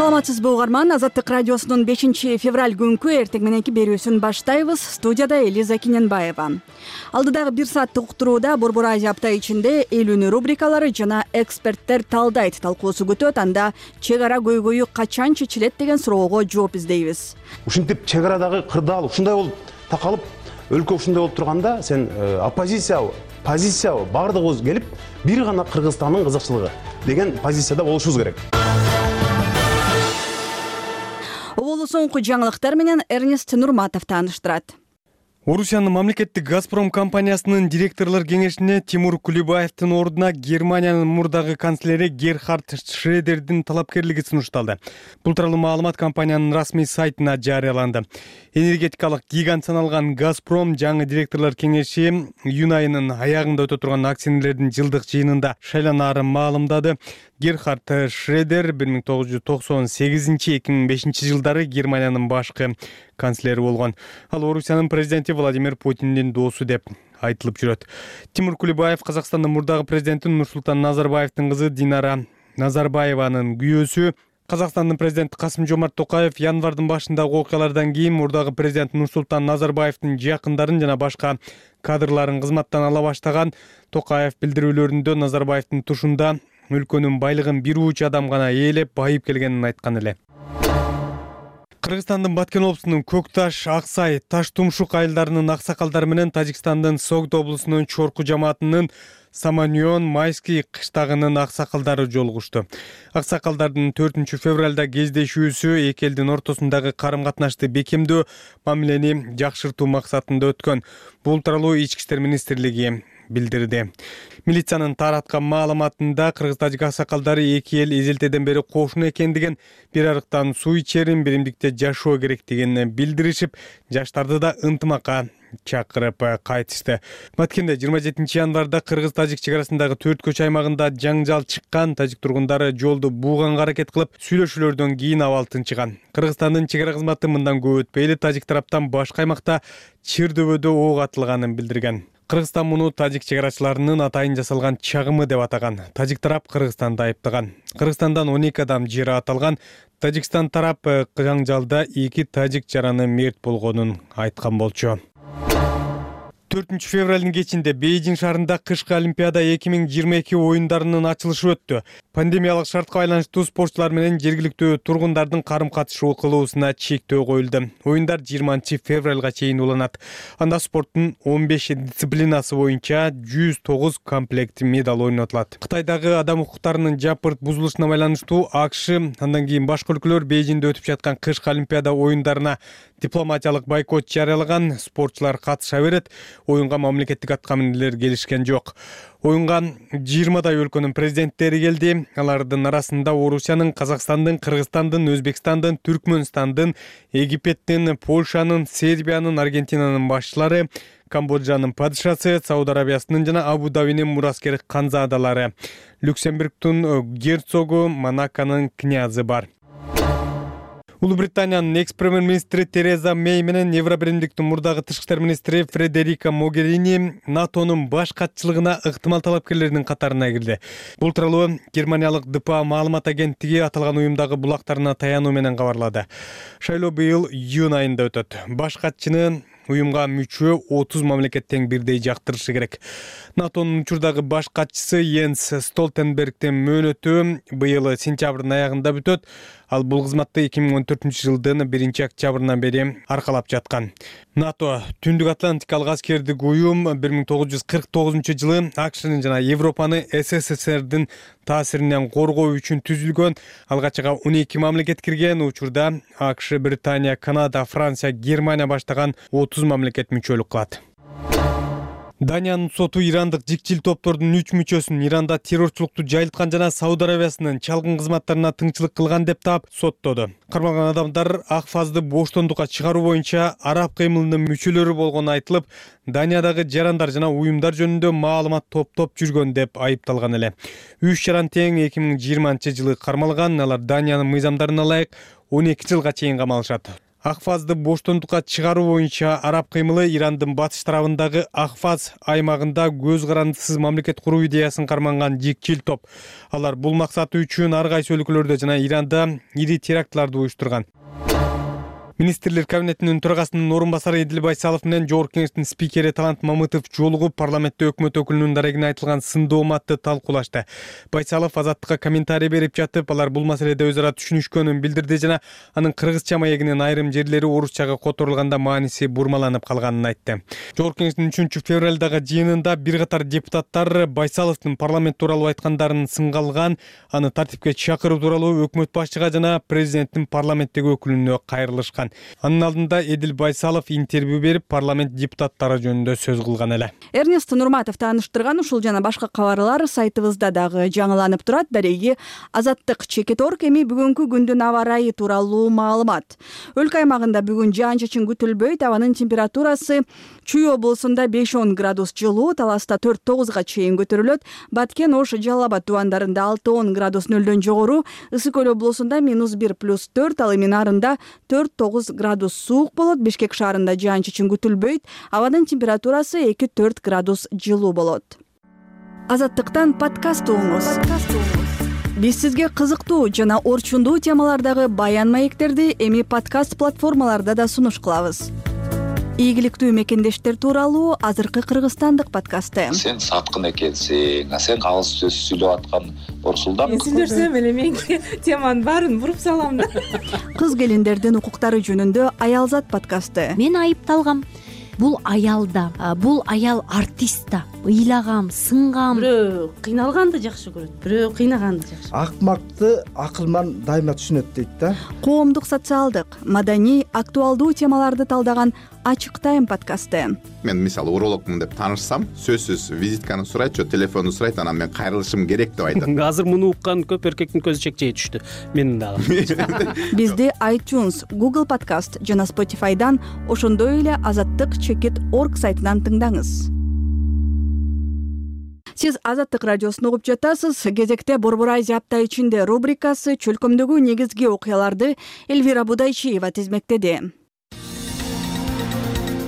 Саламатсызбы угарман, Азаттык радиосунун 5-февраль күнкү эртең мененки берүүсүн баштайбыз. Студияда Элиза Киненбаева. Алдыдагы 1 сааттык уктурууда Борбор Азия апта ичинде эл үнү рубрикалары жана эксперттер талдайт талкуусу күтөт. Анда чек ара көйгөйү качан чечилет деген суроого жооп издейбиз. Ушинтип чек арадагы кырдаал ушундай болуп такалып, өлкө ушундай болуп турганда, сен оппозициябы, позициябы бардыгыбыз келип, бир гана Кыргызстандын кызыкчылыгы деген позицияда болушубуз керек. Оболу соңку жаңылыктар менен Эрнест Нурматов тааныштырат. Орусиянын мамлекеттик Газпром компаниясынын директорлор кеңешине Тимур Кулебаевдин ордуна Германиянын мурдагы канцлери Герхард Шредердин талапкерлиги сунушталды. Бул тууралуу маалымат компаниянын расмий сайтына жарыяланды. Энергетикалык гигант саналган Газпром жаңы директорлор кеңеши июнь айынын аягында өтө турган акционерлердин жылдык жыйынында шайланаарын маалымдады. Герхард Шредер 1998-2005 жылдары Германиянын башкы канцлери болгон. Ал Орусиянын президенти Владимир Путиндин доосу деп айтылып жүрөт. Тимур Кулебаев Казакстандын мурдагы президенти Нурсултан Назарбаевдин кызы Динара Назарбаеванын күйөөсү. Казакстандын президенти Касым-Жомарт Токаев январдын башындагы окуялардан кийин мурдагы президент Нурсултан Назарбаевдин жакындарын жана башка кадрларын кызматтан ала баштаган. Токаев билдирүүлөрүндө Назарбаевдин тушунда өлкөнүн байлыгын бир ууч адам гана ээлеп байып келгенин айткан эле. Кыргызстандын Баткен облусунун Көк Таш, Аксай, Таш Тумшук айылдарынын аксакалдары менен Тажикстандын Согд облусунун Чорку жамаатынын Саманьон Майский кыштагынын аксакалдары жолугушту. Аксакалдардын 4-февралда кездешүүсү эки элдин ортосундагы карым-катнашты бекемдөө, мамилени жакшыртуу максатында өткөн. Бул тууралуу Ички иштер министрлиги билдирди. Милициянын тараткан маалыматында кыргыз-тажик аксакалдары эки эл эзелтеден бери кошуна экендигин, бир арыктан суу ичерин, биримдикте жашоо керектигин билдиришип, жаштарды да ынтымакка чакырып кайтышты. Баткенде 27 январда кыргыз-тажик чек арасындагы 4 көч аймагында жаңжал чыккан. Тажик тургундары жолду бууганга аракет кылып, сүйлөшүүлөрдөн кийин абал тынчыган. Кыргызстандын чек ара кызматы мындан көп өтпөй эле тажик тараптан башка аймакта Чыр-дөбөдө ок атылганын билдирген. Кыргызстан муну тажик чек арачыларынын атайын жасалган чагымы деп атаган. Тажик тарап Кыргызстанды айыптаган. Кыргызстандан 12 адам жери аталган. Тажикстан тарап жаңжалда 2 тажик жараны мерт болгонун айткан болчу. 4-февралдын кечинде Бейжиң шаарында кышкы Олимпиада 2022 оюндарынын ачылышы өттү. Пандемиялык шартка байланыштуу спортчулар менен жергиликтүү тургундардын карым-катышуу кылуусуна чектөө коюлду. Оюндар 20-февралга чейин уланат. Анда спорттун 15 дисциплинасы боюнча 109 комплект медаль ойнотулат. Кытайдагы адам укуктарынын жапырт бузулушуна байланыштуу АКШ, андан кийин башка өлкөлөр Бейжиңде өтүп жаткан кышкы Олимпиада оюндарына дипломатиялык бойкот жарыялаган. Спортчулар катыша берет. Оюнга мамлекеттик аткаминерлер келишкен жок. Оюнга 20 өлкөнүн президенттери келди. Алардын арасында Орусиянын, Казакстандын, Кыргызстандын, Өзбекстандын, Түркмөнстандын, Египеттин, Польшанын, Сербиянын, Аргентинанын башчылары, Камбоджанын падышасы, Сауд Арабиясынын жана Абу-Дабинин мураскер канзадалары, Люксембургдун герцогу, Монаконун князы бар. Улуу Британиянын экс-премьер-министри Тереза Мэй менен Евробиримдиктин мурдагы тышкы иштер министри Фредерика Могерини НАТОнун баш катчылыгына ыктымал талапкерлердин катарына кирди. Бул тууралуу Германиялык ДПА маалымат агенттиги аталган уюмдагы булактарына таянуу менен кабарлады. Шайлоо быйыл июнь айында өтөт. Баш катчыны уюмга мүчө 30 мамлекеттен бирдей жактырышы керек. НАТОнун учурдагы баш катчысы Йенс Столтенбергдин мөөнөтү быйыл сентябрдын аягында бүтөт. Ал бул кызматты 2014 жылдын 1-октябрынан бери аркалап жаткан. НАТО Түндүк Атлантикалык аскердик уюм 1949 жылы АКШнын жана Европаны СССРдин таасиринен коргоо үчүн түзүлгөн. Алгачкы 12 мамлекет кирген. Учурда АКШ, Британия, Канада, Франция, Германия баштаган 30 мамлекет мүчөлүк кылат. Даниянын соту ирандык жикчил топтордун 3 мүчөсүн Иранда террорчулукту жайылткан жана Сауд Арабиясынын чалгын кызматтарына тыңчылык кылган деп таап соттоду. Кармалган адамдар ак фазды боштондукка чыгаруу боюнча араб кыймылынын мүчөлөрү болгону айтылып, Даниядагы жарандар жана уюмдар жөнүндө маалымат топтоп жүргөн деп айыпталган эле. 3 жаран тең 2020 жылы кармалган. Алар Даниянын мыйзамдарына ылайык 12 жылга чейин камалышат. Ахвазды боштондукка чыгаруу боюнча араб кыймылы Ирандын батыш тарабындагы Ахваз аймагында көз карандысыз мамлекет куруу идеясын карманган жикчил топ. Алар бул максаты үчүн ар кайсы өлкөлөрдө жана Иранда ири терактларды уюштурган. Министрлер кабинетинин төрагасынын орун басары Эдил Байсалов менен Жогорку Кеңештин спикери Талант Мамытов жолугуп парламентте өкмөт өкүлүнүн дарегине айтылган сындооматты талкуулашты. Байсалов Азаттыкка комментарий берип жатып, алар бул маселеде өз ара түшүнүшкөнүн билдирди жана анын кыргызча маегинин айрым жерлери орусчага которулганда мааниси бурмаланып калганын айтты. Жогорку Кеңештин 3-февралдагы жыйынында бир катар депутаттар Байсаловдун парламент тууралуу айткандарын сынга алган, аны тартипке чакыруу тууралуу өкмөт башчыга жана президенттин парламенттеги өкүлүнө кайрылышкан. Анын алдында Эдил Байсалов интервью берип, парламент депутаттары жөнүндө сөз кылган эле. Эрнест Нурматов тааныштырган ушул жана башка кабарлар сайтыбызда дагы жаңыланып турат. Дареги Азаттык Чекит.орг эми бүгүнкү күндүн аба ырайы тууралуу маалымат. Өлкө аймагында бүгүн жаан-чачын күтүлбөйт. Абанын температурасы Чүй облусунда 5-10 градус жылуу, Таласта 4-9га чейин көтөрүлөт. Баткен, Ош, Жалал Абад тубандарында 6-10 градус нөлдөн жогору, Ысык Көл облусунда -1+4, ал эми нарында 4-9 градус суук болот. Бишкек шаарында жаан-чачын күтүлбөйт. Абанын температурасы 2-4 градус жылуу болот. Азаттыктан подкаст угуңуз. Биз сизге кызыктуу жана орчундуу темалардагы баян маектерди эми подкаст платформаларда да сунуш кылабыз. Ийгиликтүү мекендештер тууралуу азыркы кыргызстандык подкасты. Сен саткын экенсиң, сен алыс сөз сүйлөп аткан Борсулдан. Мен сүйлөсөм эле мен теманын баарын буруп салам да. Кыз келиндердин укуктары жөнүндө Аялзат подкасты. Мен айыпталгам. Бул аял да, бул аял артист да. Ыйлагам, сынгам. Бирөө кыйналганды жакшы көрөт, бирөө кыйнаганды жакшы. Акмакты акылман дайыма түшүнөт дейт да. Коомдук, социалдык, маданий, актуалдуу темаларды талдаган Ачык Тайм подкасты. Мен мисалы урологмун деп таанышсам, сөзсүз визитканы сурайт, же телефонду сурайт, анан мен кайрылышым керек деп айтат. Азыр муну уккан көп эркектин көзү чекчей түштү. Менин дагы. Бизди iTunes, Google Podcast жана Spotify'дан, ошондой эле Азаттык Чекит.орг сайтынан тыңдаңыз. Сиз Азаттык радиосун угуп жатасыз. Кезекте Борбор Азия апта ичинде рубрикасы чөлкөмдөгү негизги окуяларды Эльвира Будайчиева тизмектеди.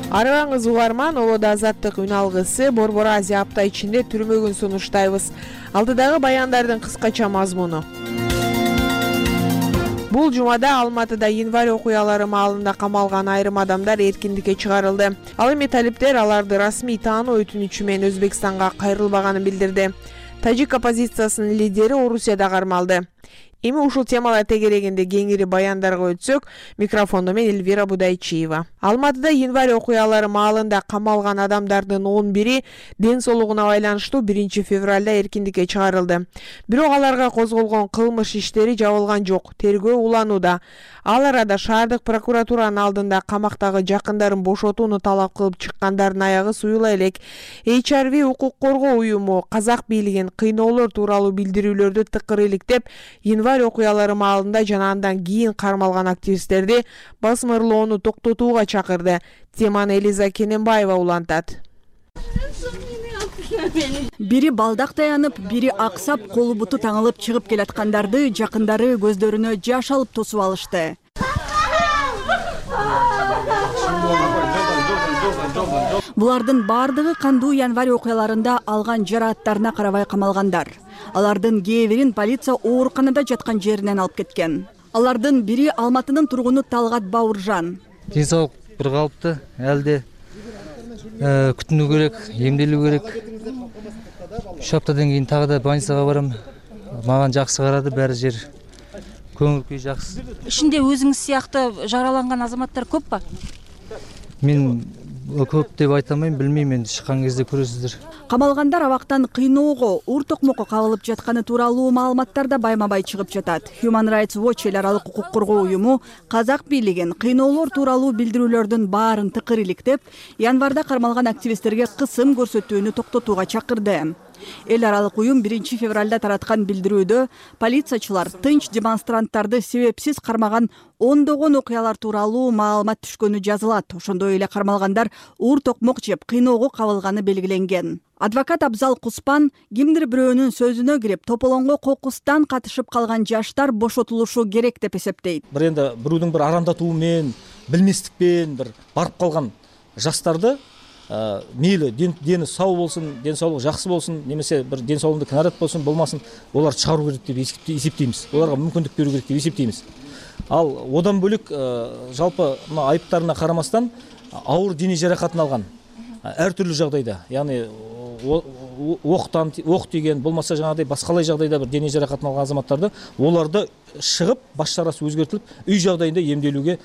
Арыбаңыз угарман, Олода Азаттык үн алгысы Борбор Азия апта ичинде түрмөгүн сунуштайбыз. Алдыдагы баяндардын кыскача мазмуну. Бул жумада Алматыда январь окуялары маалында камалган айрым адамдар эркиндикке чыгарылды. Ал эми талиптер аларды расмий таануу өтүнүчү менен Өзбекстанга кайрылбаганын билдирди. Тажик оппозициясынын лидери Орусияда кармалды. Эми ушул темалар тегерегинде кеңири баяндарга өтсөк, микрофондо мен Эльвира Будайчиева. Алматыда январь окуялары маалында камалган адамдардын 11-и ден соолугуна байланыштуу 1-февралда эркиндикке чыгарылды. Бирок аларга козголгон кылмыш иштери жабылган жок, тергөө уланууда. Ал арада шаардык прокуратуранын алдында камактагы жакындарын бошотууну талап кылып чыккандардын аягы суюла элек. HRV укук коргоо уюму казак бийлигин кыйноолор тууралуу билдирүүлөрдү тыкыр иликтеп, январь окуялары маалында жана андан кийин кармалган активисттерди басмырлоону токтотууга чакырды. Теманы Элиза Кененбаева улантат. Бири балдак таянып, бири аксап, колу буту таңылып чыгып келаткандарды жакындары көздөрүнө жаш алып тосуп алышты. Булардын бардыгы кандуу январь окуяларында алган жарааттарына карабай камалгандар. Алардын кээ бирин полиция ооруканада жаткан жеринен алып кеткен. Алардын бири Алматынын тургуну Талгат Бауыржан. Ден соолук бир калыпты, элде күтүнүү керек, эмделүү керек. 3 аптадан кийин тагы да больницага барам. Мага жакшы карады, баары жер. Көңүл күй жакшы. Ичинде өзүңүз сыяктуу жараланган азаматтар көп ба? Мен көп деп айта алмайм, билмейм, энди чыккан кезде көрөсүздөр. Камалгандар абактан кыйноого, ур токмокко кабылып жатканы тууралуу маалыматтар да байма-бай чыгып жатат. Human Rights Watch эл аралык укук коргоо уюму казак бийлигин кыйноолор тууралуу билдирүүлөрдүн баарын тыкыр иликтеп, январда кармалган активисттерге кысым көрсөтүүнү токтотууга чакырды. Эл аралык уюм 1 февралда тараткан билдирүүдө полициячылар тынч демонстранттарды себепсиз кармаган ондогон окуялар тууралуу маалымат түшкөнү жазылат. Ошондой эле кармалгандар уур токмок жеп кыйноого кабылганы белгиленген. Адвокат Абзал Куспан кимдир бирөөнүн сөзүнө кирип, тополоңго кокустан катышып калган жаштар бошотулушу керек деп эсептейт. Енді бирөөдүн бир арандатуу менен, билместикпен бир барып калган жаштарды мейли дени сау болсун, ден соолугу жакшы болсун, немесе бир ден соолугунда кінарат болсун, болмасын, олар чыгаруу керек деп эсептейбиз. Оларга мүмкүндүк берүү керек деп эсептейбиз. Ал одан бөлөк жалпы мына айыптарына карамастан ауыр дене жаракатын алган ар түрлүү жагдайда, яғни ок тиген, болмаса жаңагыдай башкалай жагдайда бир дене жаракатын алган азаматтарды оларды чыгып, баш чарасы өзгөртүлүп, үй жагдайында эмделүүгө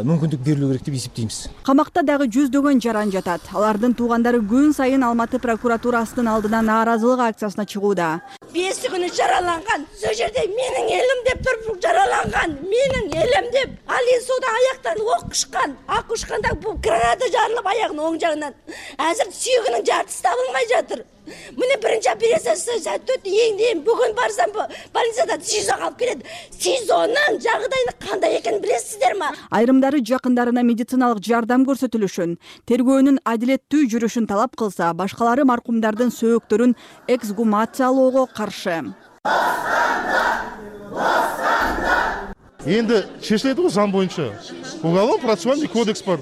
мүмкүндүк берилүү керек деп эсептейбиз. Камакта дагы жүздөгөн жаран жатат. Алардын туугандары күн сайын Алматы прокуратурасынын алдына нааразылык акциясына чыгууда. 5 күнү жараланган, сол жерде менин элим деп туруп жараланган, менин элим деп, ал сода аяктан ок ушкан, ак ушканда бул граната жарылып аягынын оң жагынан. Азыр сүйөгүнүн жартысы табылмай жатыр. Мына биринчи операциясы сәттөт эң бүгүн барсам больницада СИЗО калып келет. СИЗОнун жагдайы кандай экенин билесиздерби? Айрымдары жакындарына медициналык жардам көрсөтүлүшүн, тергөөнүн адилеттүү жүрүшүн талап кылса, башкалары маркумдардын сөөктөрүн эксгумациялоого каршы. Енді чечилет го заң боюнча. Уголовно процессуальный кодекс бар.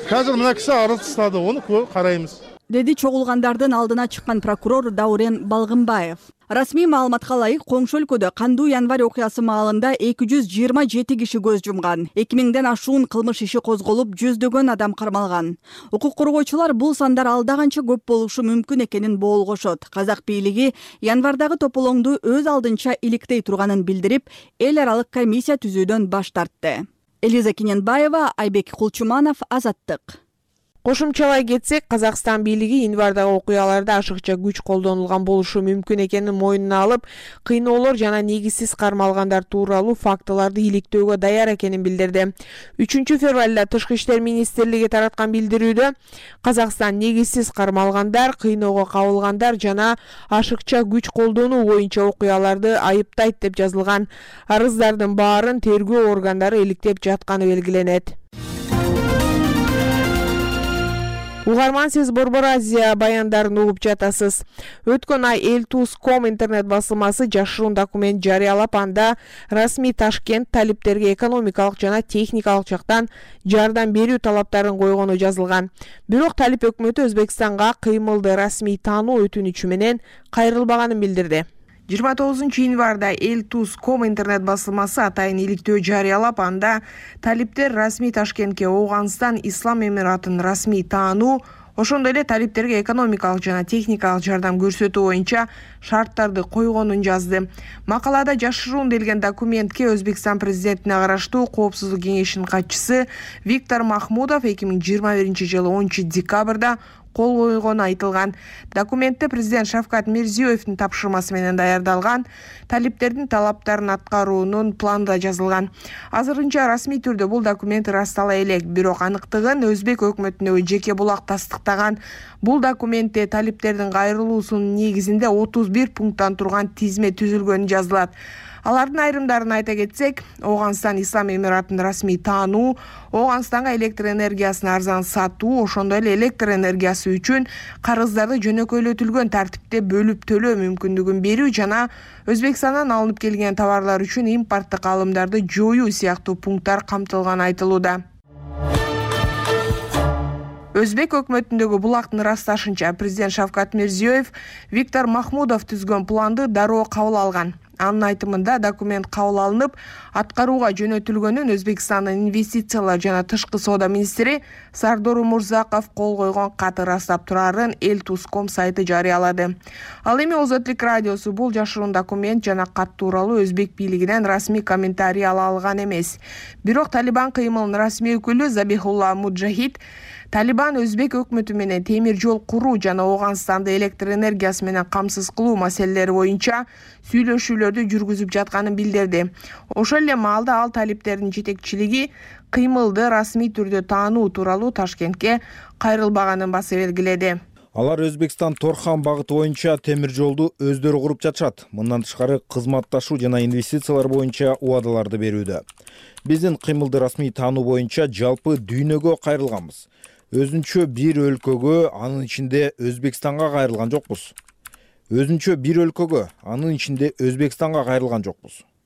Қазір мына киши арыз тастады, оны карайбыз. Деди чогулгандардын алдына чыккан прокурор Даурен Балгынбаев. Расмий маалыматка ылайык, коңшу өлкөдө кандуу январь окуясы маалында 227 киши көз жумган. 2000ден ашуун кылмыш иши козголуп, жүздөгөн адам кармалган. Укук коргоочулар бул сандар алда канча көп болушу мүмкүн экенин боолгошот. Казак бийлиги январдагы тополоңду өз алдынча иликтей турганын билдирип, эл аралык комиссия түзүүдөн баш тартты. Элиза Киненбаева, Айбек Кулчуманов, Азаттык. Кошумчалай кетсек, Казакстан бийлиги январдагы окуяларда ашыкча күч колдонулган болушу мүмкүн экенин мойнуна алып, кыйноолор жана негизсиз кармалгандар тууралуу фактыларды иликтөөгө даяр экенин билдирди. 3 февралда Тышкы иштер министрлиги тараткан билдирүүдө Казакстан негизсиз кармалгандар, кыйноого кабылгандар жана ашыкча күч колдонуу боюнча окуяларды айыптайт деп жазылган. Арыздардын баарын тергөө органдары иликтеп жатканы белгиленет. Угарман, сиз Борбор Азия баяндарын угуп жатасыз. Өткөн ай Элтус.com интернет басылмасы жашыруун документ жарыялап, анда расмий Ташкент талиптерге экономикалык жана техникалык жактан жардам берүү талаптарын койгону жазылган. Бирок талип өкмөтү Өзбекстанга кыймылды расмий таануу өтүнүчү менен кайрылбаганын билдирди. 29 январда Элтус.com интернет басылмасы атайын иликтөө жарыялап, анда талиптер расмий Ташкентке Ооганстан Ислам Эмиратынын расмий таануу, ошондой эле талиптерге экономикалык жана техникалык жардам көрсөтүү боюнча шарттарды койгонун жазды. Макалада жашыруун делген документке Өзбекстан президентине караштуу Коопсуздук кеңешинин катчысы Виктор Махмудов 2021-жылы 10 декабрда кол койгону айтылган. Документте президент Шавкат Мирзиёевдин тапшырмасы менен даярдалган, талиптердин талаптарын аткаруунун планы да жазылган. Азырынча расмий түрдө бул документ ырастала элек, бирок аныктыгын Өзбек өкмөтүнө жеке булак тастыктаган. Бул документте талиптердин кайрылуусунун негизинде 31 пункттан турган тизме түзүлгөнү жазылат. Алардын айрымдарын айта кетсек, Ооганстан Ислам Эмиратынын расмий таануу, Ооганстанга электр энергиясын арзан сатуу, ошондой эле электр энергиясы үчүн карыздарды жөнөкөйлөтүлгөн тартипте бөлүп төлөө мүмкүндүгүн берүү жана Өзбекстандан алынып келген товарлар үчүн импорттук алымдарды жоюу сыяктуу пункттар камтылганы айтылууда. Өзбек өкмөтүндөгү булактын ырасташынча, президент Шавкат Мирзиёев Виктор Махмудов түзгөн планды дароо кабыл алган. Анын айтымында документ кабыл алынып, аткарууга жөнөтүлгөнүн Өзбекстандын инвестициялар жана тышкы соода министри Сардор Умурзаков кол койгон кат ырастап турарын Элтус.com сайты жарыялады. Ал эми Озотлук радиосу бул жашыруун документ жана кат тууралуу Өзбек бийлигинен расмий комментарий ала алган эмес. Бирок Талибан кыймылынын расмий өкүлү Забихулла Муджахид Талибан Өзбек өкмөтү менен темир жол куруу жана Ооганстанды электр энергиясы менен камсыз кылуу маселелери боюнча сүйлөшүүлөрдү жүргүзүп жатканын билдирди. Ошол эле маалда ал талиптердин жетекчилиги кыймылды расмий түрдө таануу тууралуу Ташкентке кайрылбаганын баса белгиледи. Алар Өзбекстан Торхан багыты боюнча темир жолду өздөрү куруп жатышат. Мындан тышкары кызматташуу жана инвестициялар боюнча убадаларды берүүдө. Биздин кыймылды расмий таануу боюнча жалпы дүйнөгө кайрылганбыз. Өзүнчө бир өлкөгө, анын ичинде Өзбекстанга кайрылган жокпуз.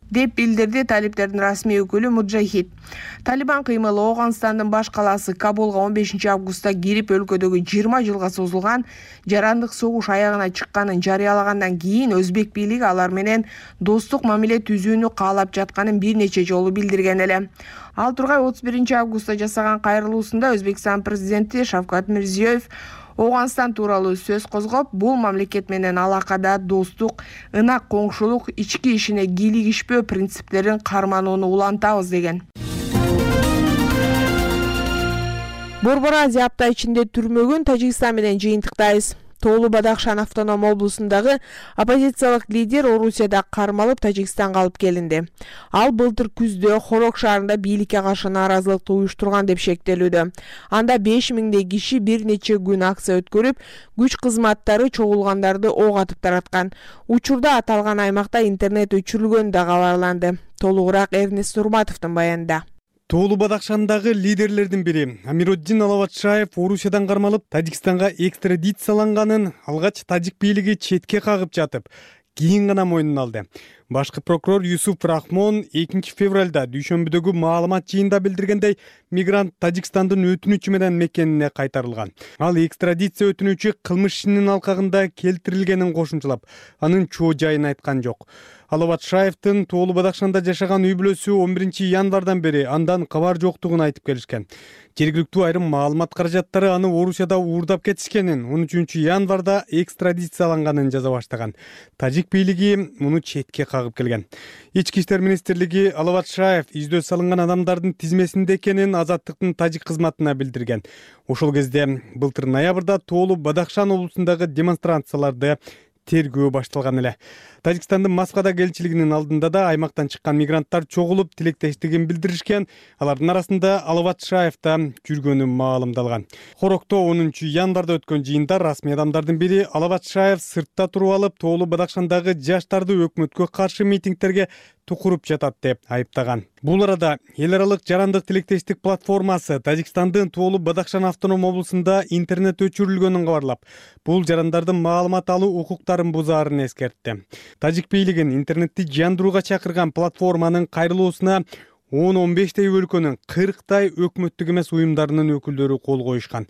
Деп билдирди талиптердин расмий өкүлү Муджахид. Талибан кыймылы Ооганстандын баш калаасы Кабулга 15 августта кирип өлкөдөгү 20 жылга созулган жарандык согуш аягына чыкканын жарыялагандан кийин өзбек бийлиги алар менен достук мамиле түзүүнү каалап жатканын бир нече жолу билдирген эле. Ал тургай 31 августта жасаган кайрылуусунда Өзбекстан президенти Шавкат Мирзиёев Ооганстан тууралуу сөз козгоп, бул мамлекет менен алакада достук, ынак коңшулук, ички ишине кийлигишпөө принциптерин карманууну улантабыз деген. Борбор Азия апта ичинде түрмөгүн Тажикстан менен жыйынтыктайбыз. Тоолу Бадахшан автоном облусундагы оппозициялык лидер Орусияда кармалып Тажикстанга алып келинди. Ал былтыр күздө Хорок шаарында бийликке каршы нааразылыкты уюштурган деп шектелүүдө. Анда 5000дей киши бир нече күн акция өткөрүп, күч кызматтары чогулгандарды ок атып тараткан. Учурда аталган аймакта интернет өчүрүлгөнү да кабарланды. Толугураак Эрнест Нурматовдун баянында. Тоолу Бадахшандагы лидерлердин бири Амироддин Алаватшаев Орусиядан кармалып Тажикстанга экстрадицияланганын алгач тажик бийлиги четке кагып жатып, кийин гана мойнуна алды. Башкы прокурор Юсуф Рахмон 2 февралда дүйшөмбүдөгү маалымат жыйында билдиргендей, мигрант Тажикстандын өтүнүчү менен мекенине кайтарылган. Ал экстрадиция өтүнүчү кылмыш ишинин алкагында келтирилгенин кошумчалап, анын чоо жайын айткан жок. Алаватшаевдин Тоолу Бадахшанда жашаган үй бүлөсү 11 январдан бери андан кабар жоктугун айтып келишкен. Жергиликтүү айрым маалымат каражаттары аны Орусияда уурдап кетишкенин, 13 январда экстрадицияланганын жаза баштаган. Тажик бийлиги муну четке кагып келген. Ички иштер министрлиги Алаватшаев издөө салынган адамдардын тизмесинде экенин Азаттыктын тажик кызматына билдирген. Ошол кезде былтыр ноябрда Тоолу Бадахшан облусундагы демонстрацияларды тергөө башталган эле. Тажикстандын Москвада элчилигинин алдында да аймактан чыккан мигранттар чогулуп тилектештигин билдиришкен. Алардын арасында Алаватшаев да жүргөнү маалымдалган. Хорокто 10 январда өткөн жыйында расмий адамдардын бири Алаватшаев сыртта туруп алып, Тоолу Бадахшандагы жаштарды өкмөткө каршы митингтерге тукуруп жатат деп айыптаган. Бул арада эл аралык жарандык тилектештик платформасы Тажикстандын Тоолу Бадахшан автоном облусунда интернет өчүрүлгөнүн кабарлап, бул жарандардын маалымат алуу укуктарын бузаарын эскертти. Тажик бийлигин интернетти жандырууга чакырган платформанын кайрылуусуна 10-15 өлкөнүн 40 өкмөттүк эмес уюмдарынын өкүлдөрү кол коюшкан.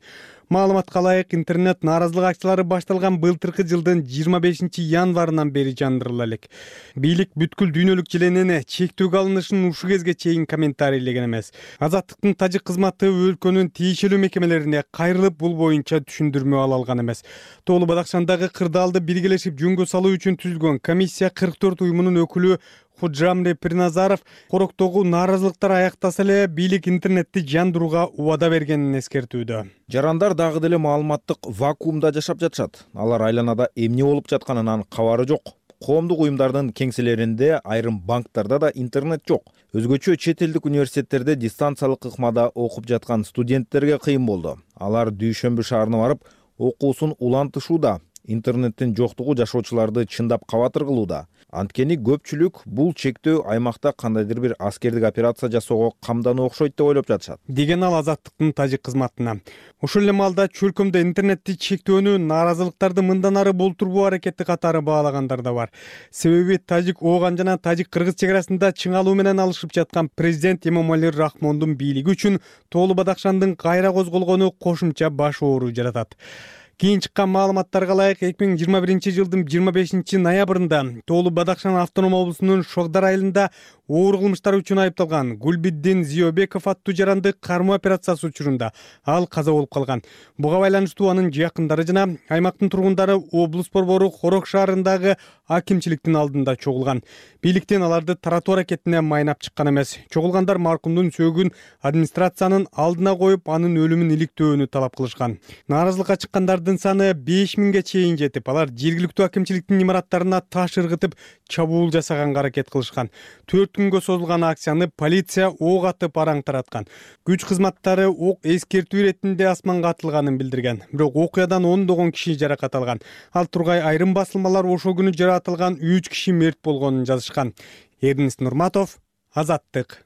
Маалыматка ылайык, интернет нааразылык акциялары башталган былтыркы жылдын 25 январынан бери жандырыла элек. Бийлик бүткүл дүйнөлүк желенени чектөөгө алынышын ушул кезге чейин комментарийлеген эмес. Азаттыктын тажик кызматы өлкөнүн тиешелүү мекемелерине кайрылып, бул боюнча түшүндүрмө ала алган эмес. Тоолу Бадахшандагы кырдаалды биргелешип жөнгө салуу үчүн түзүлгөн комиссия 44 уюмунун өкүлү Худжамре Пирназаров Хороктогу нааразылыктар аяктаса эле бийлик интернетти жандырууга убада бергенин эскертүүдө. Жарандар дагы деле маалыматтык вакуумда жашап жатышат. Алар айланада эмне болуп жатканынан кабары жок. Коомдук уюмдардын кеңселеринде, айрым банктарда да интернет жок. Өзгөчө чет элдик университеттерде дистанциялык ыкмада окуп жаткан студенттерге кыйын болду. Алар Дүйшөмбү шаарына барып, окуусун улантышууда. Интернеттин жоктугу жашоочуларды чындап кабатыр кылууда. Анткени көпчүлүк бул чектөө аймакта кандайдыр бир аскердик операция жасоого камдануу окшойт деп ойлоп жатышат, деген ал Азаттыктын тажик кызматына. Ошол эле маалда чөлкөмдө интернетти чектөөнү нааразылыктарды мындан ары болтурбоо аракети катары баалагандар да бар. Себеби тажик Ооган жана тажик-кыргыз чек арасында чыңалуу менен алышып жаткан президент Эмомали Рахмондун бийлиги үчүн Тоолу Бадахшандын кайра козголгону кошумча баш оору жаратат. Кийин чыккан маалыматтарга ылайык 2021 жылдын 25 ноябрында Тоолу Бадахшан автоном облусунун Шогдар айылында оор кылмыштар үчүн айыпталган Гулбиддин Зиёбеков аттуу жаранды кармоо операциясы учурунда ал каза болуп калган. Буга байланыштуу анын жакындары жана аймактын тургундары облус борбору Хорок шаарындагы акимчиликтин алдында чогулган. Бийликтен аларды таратуу аракетине майнап чыккан эмес. Чогулгандар маркумдун сөөгүн администрациянын алдына коюп, анын өлүмүн иликтөөнү талап кылышкан. Нааразылыкка чыккандардын саны 5000ге чейин жетип, алар жергиликтүү акимчиликтин имараттарына таш ыргытып, чабуул жасаганга аракет кылышкан. 4 күнгө созулган акцияны полиция ок атып араң тараткан. Күч кызматтары ок эскертүү иретинде асманга атылганын билдирген. Бирок окуядан ондогон киши жаракат алган. Ал тургай айрым басылмалар ошол күнү жаратылган 3 киши мерт болгонун жазышкан. Эрнис Нурматов, Азаттык.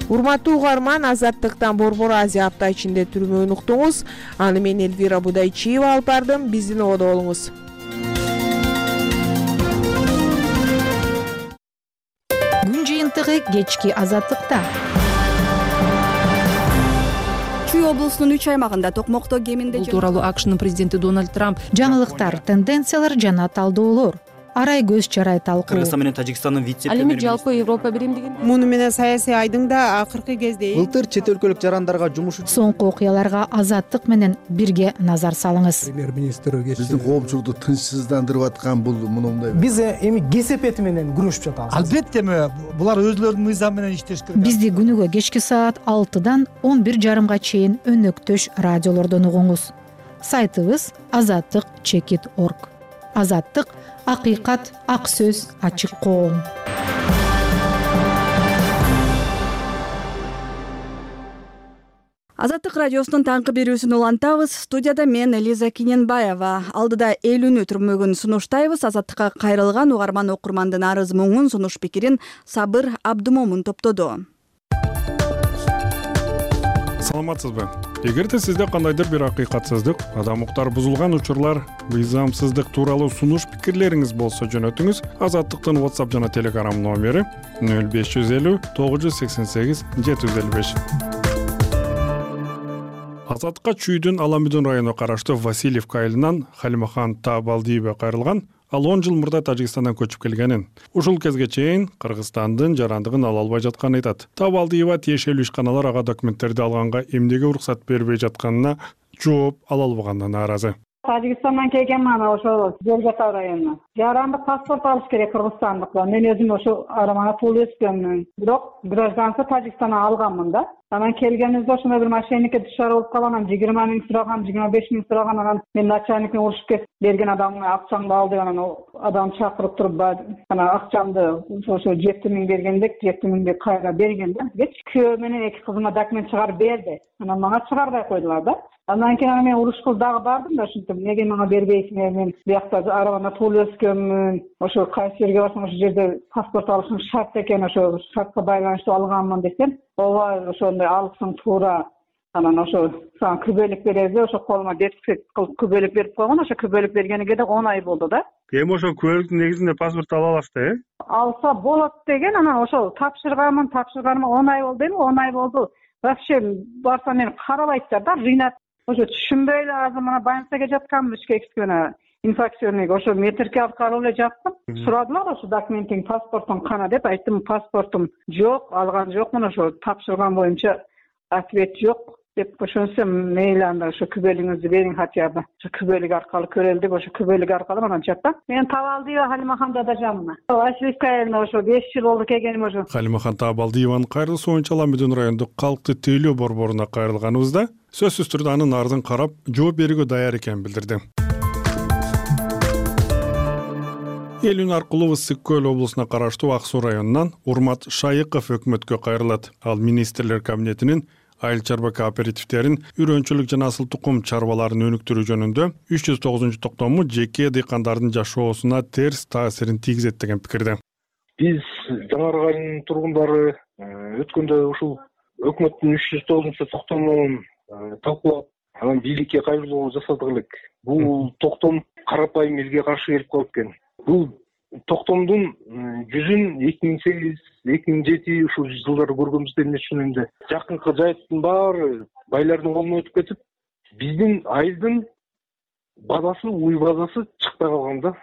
Урматтуу угарман, Азаттыктан Борбор Азия апта ичинде түрмөгүн уктуңуз. Аны мен Элвира Будайчиева алып бардым. Биздин ободо болуңуз. Күн жыйынтыгы кечки Азаттыкта. Чүй облусунун 3 аймагында токмокто кеминде Бул тууралуу АКШнын президенти Дональд Трамп жаңылыктар, тенденциялар жана талдоолор арай көз чарай талкуу. Кыргызстан менен Тажикстандын вице-премьери. Ал эми жалпы Европа биримдигинде Муну менен саясий айдың да акыркы кезде былтыр чет өлкөлүк жарандарга жумуш соңку окуяларга Азаттык менен бирге назар салыңыз. Премьер-министр биздин коомчулукту тынчсыздандырып аткан бул мындай. Биз эми кесепети менен күрөшүп жатабыз. Албетте булар өзлөрүнүн мыйзамы менен иштеш керек. Бизди күнүгө кечки саат 6-дан 11:30 чейин өнөктөш радиолордон угуңуз. Сайтыбыз azattik.org. Азаттык — акыйкат, ак сөз, ачык коом. Азаттык радиосунун таңкы берүүсүн улантабыз. Студияда мен Элиза Киненбаева. Алдыда элүүнү түрмөгүн сунуштайбыз. Азаттыкка кайрылган угарман окурмандын арыз муңун, сунуш пикирин Сабыр Абдумомун топтоду. Саламатсызбы? Эгерде сизде кандайдыр бир акыйкатсыздык, адам укуктары бузулган учурлар, мыйзамсыздык тууралуу сунуш пикирлериңиз болсо жөнөтүңүз. Азаттыктын WhatsApp жана Telegram номери 0550 988 755. Азаттыкка Чүйдүн Аламүдүн районуна караштуу Васильевка айылынан Халимахан Табалдиева кайрылган. Ал 10 жыл мурда Тажикстандан көчүп келгенин, ушул кезге чейин Кыргызстандын жарандыгын ала албай жатканын айтат. Табалдиева тиешелүү ишканалар ага документтерди алганга эмнеге уруксат бербей жатканына жооп ала албаганына нааразы. Тажикстандан келгенмин ошол Жолгата районуна. Жарандык паспорт алыш керек кыргызстандык. Мен өзүм ошо арамана туулуп өскөнмүн. Бирок гражданство Тажикстандан алганмын да. Анан келгенибизде ошондой бир мошенникке душар болуп калган. Анан 20 миң сураган, 25 миң сураган. Анан мен начальникке урушуп кетип берген адамга акчаңды ал деп анан адам чакырып туруп анан акчамды ошо 7 миң бергендек 7 миңди кайра берген да. Күйөө менен 2 кызыма документ чыгарып берди. Анан мага чыгарбай койдулар да. Андан кийин мен урушкул дагы бардым да, ушинтип эмнеге мага бербейсиңер, мен биякта арабада туулуп өскөнмүн, ошо кайсы жерге барсам ошол жерде паспорт алышым шарт экен, ошо шартка байланыштуу алганмын десем, ооба ошондой алыпсың туура. Анан ошо сага күбөлүк беребиз, ошо колума детский кылып күбөлүк берип койгон, ошо күбөлүк бергениге да 10 ай болду да. Эми ошо күбөлүктүн негизинде паспорт ала аласыз да, Алса болот деген, анан ошо тапшырганыма 10 ай болду эми, 10 ай болду. Вообще барсам мени карабайттар да, рынат. Ошо түшүнбөй эле азыр мына больницага жатканмын, ичке инфекционный, ошо метрке алып карап эле жаттым. Сурадылар ошо документиң, паспортуң кана деп, айттым паспортум жок, алган жокмун, ошо тапшырган боюнча ответ жок деп, ошонусу мейли анда ошо күбөлүгүңүздү бериң хотя бы. Ошо күбөлүк аркылуу көрөлү деп, ошо күбөлүк аркылуу анан жаттым. Мен Табалдиева Халимахан Дадажанмын. Васильевка айылына ошо 5 жыл болду келгеним ошо. Халимахан Табалдиеванын кайрылышы боюнча Аламүдүн райондук калкты тейлөө борборуна кайрылганыбызда сөзсүз түрдө анын арызын карап жооп берүүгө даяр экенин билдирди. Элүүн аркылуу Ысык Көл облусуна караштуу Ак Суу районунан Урмат Шайыков өкмөткө кайрылат. Ал министрлер кабинетинин айыл чарба кооперативдерин үрөнчүлүк жана асыл тукум чарбаларын өнүктүрүү жөнүндө 309-токтому жеке дыйкандардын жашоосуна терс таасирин тийгизет деген пикирде. Биз Жаңарга айылынын тургундары өткөндө ушул өкмөттүн 309-токтомун талкуулап, анан бийликке кайрылуу жасадык элек. Бул токтом карапайым элге каршы келип калып экен. Бул токтомдун жүзүн 2008-2007 ушул жылдары көргөнбүз эмне үчүн энди жакынкы жайыттын баары байлардын колуна өтүп кетип, биздин айылдын базасы, уй базасы чыкпай калган да.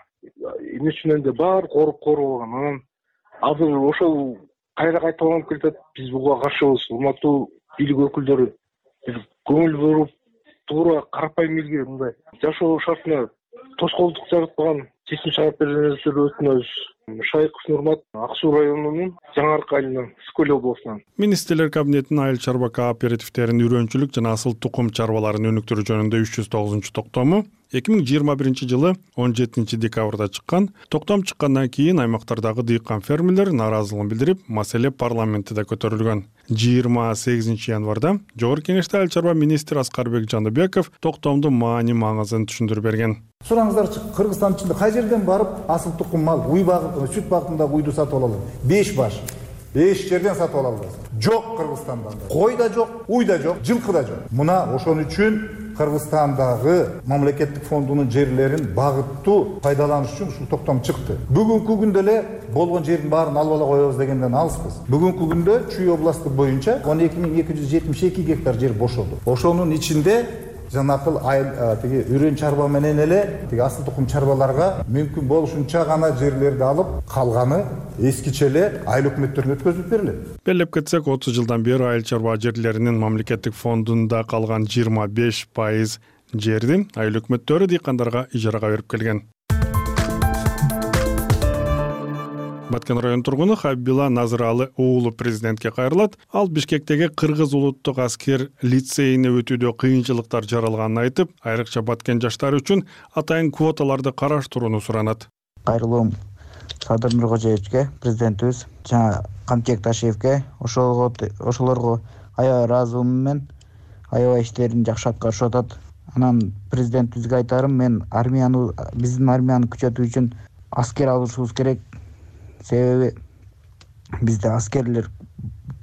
Эмне үчүн энди баары коруп алган. Анан азыр ошол кайра кайталанып келатат. Биз буга каршыбыз. Урматтуу бийлик өкүлдөрү, биз көңүл буруп, туура карапайым элге мындай жашоо шартына тоскоолдук жараткан чечим чыгарып бергениңиздерди өтүнөбүз. Шайков Нурмат Ак Суу районунун Жаңы Арка айылынан, Скөл облусунан. Министрлер кабинетинин айыл чарба кооперативтеринин үрөнчүлүк жана асыл тукум чарбаларын өнүктүрүү жөнүндө 309-токтому 2021 жылы 17 декабрда чыккан. Токтом чыккандан кийин аймактардагы дыйкан фермерлер нааразылыгын билдирип, маселе парламентте көтөрүлгөн. 28 январда Жогорку Кеңеште айыл чарба министри Аскарбек Жандыбеков токтомдун маани-маңызын түшүндүрүп берген. Сураңыздарчы, Кыргызстан ичинде кай жерден барып асыл тукум мал, уй багып, сүт багытындагы уйду сатып ала алат? 5 баш. 5 жерден сатып ала аласыз. Жок Кыргызстанда. Кой да жок, уй да жок, жылкы да жок. Мына ошон үчүн Кыргызстандагы мамлекеттик фондунун жерлерин багыттуу пайдаланыш үчүн ушул токтом чыкты. Бүгүнкү күндө эле болгон жердин баарын алып ала коебуз дегенден алыспыз. Бүгүнкү күндө Чүй областы боюнча 12272 гектар жер бошолду. Ошонун ичинде жанакыл тиги үрөн чарба менен эле тиги асыл тукум чарбаларга мүмкүн болушунча гана жерлерди алып, калганы эскиче эле айыл өкмөттөрүнө өткөзүлүп берилет. Белеп кетсек, 30 жылдан бери айыл чарба жерлеринин мамлекеттик фондунда калган 25% жерди айыл өкмөттөрү дыйкандарга ижарага берип келген. Баткен район тургуну Хабибила Назыралы уулу президентке кайрылат. Ал Бишкектеги Кыргыз улуттук аскер лицейине өтүүдө кыйынчылыктар жаралганын айтып, айрыкча Баткен жаштары үчүн атайын квоталарды караштырууну суранат. Кайрылуум Садыр Нуркожоевичке, президентибиз, жана Камчек Ташиевке, ошолорго аябай ыраазылыгым, аябай иштерин жакшы аткарышып атат. Анан президентибизге айтарым, мен биздин армияны күчөтүү үчүн аскер алышыбыз керек. Себеби бизде аскерлер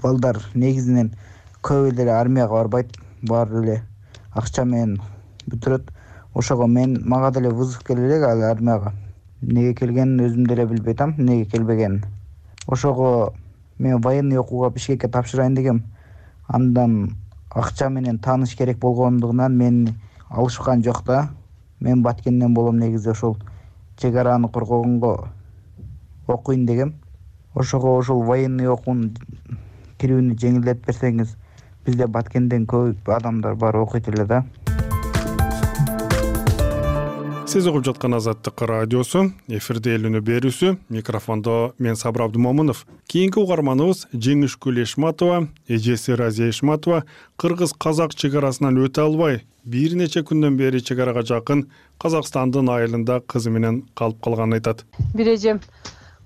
балдар негизинен көп эле армияга барбайт, баары эле акча менен бүтүрөт. Ошого мага деле вызов келе элек ал армияга. Неге келгенин өзүм деле билбей атам, неге келбегенин. Ошого мен военный окууга Бишкекке тапшырайын дегем. Андан акча менен тааныш керек болгондугунан мени алышкан жок да. Мен Баткенден болом, негизи ошол чек-араны коргогонго окуйн дегем. Ошого ошол военный окуунун кирүүнү жеңилдетип берсеңиз, бизде Баткенден көп адамдар бар окуйт эле да. Сиз угуп жаткан Азаттык радиосу, эфирде эл үнү берүүсү, микрофондо мен Сабыр Абдымомунов. Кийинки угарманыбыз Жеңишкүл Эшматова, эжеси Разия Эшматова кыргыз-казак чек арасынан өтө албай, бир нече күндөн бери чек арага жакын Казакстандын айылында кызы менен калып калганын айтат. Бир эжем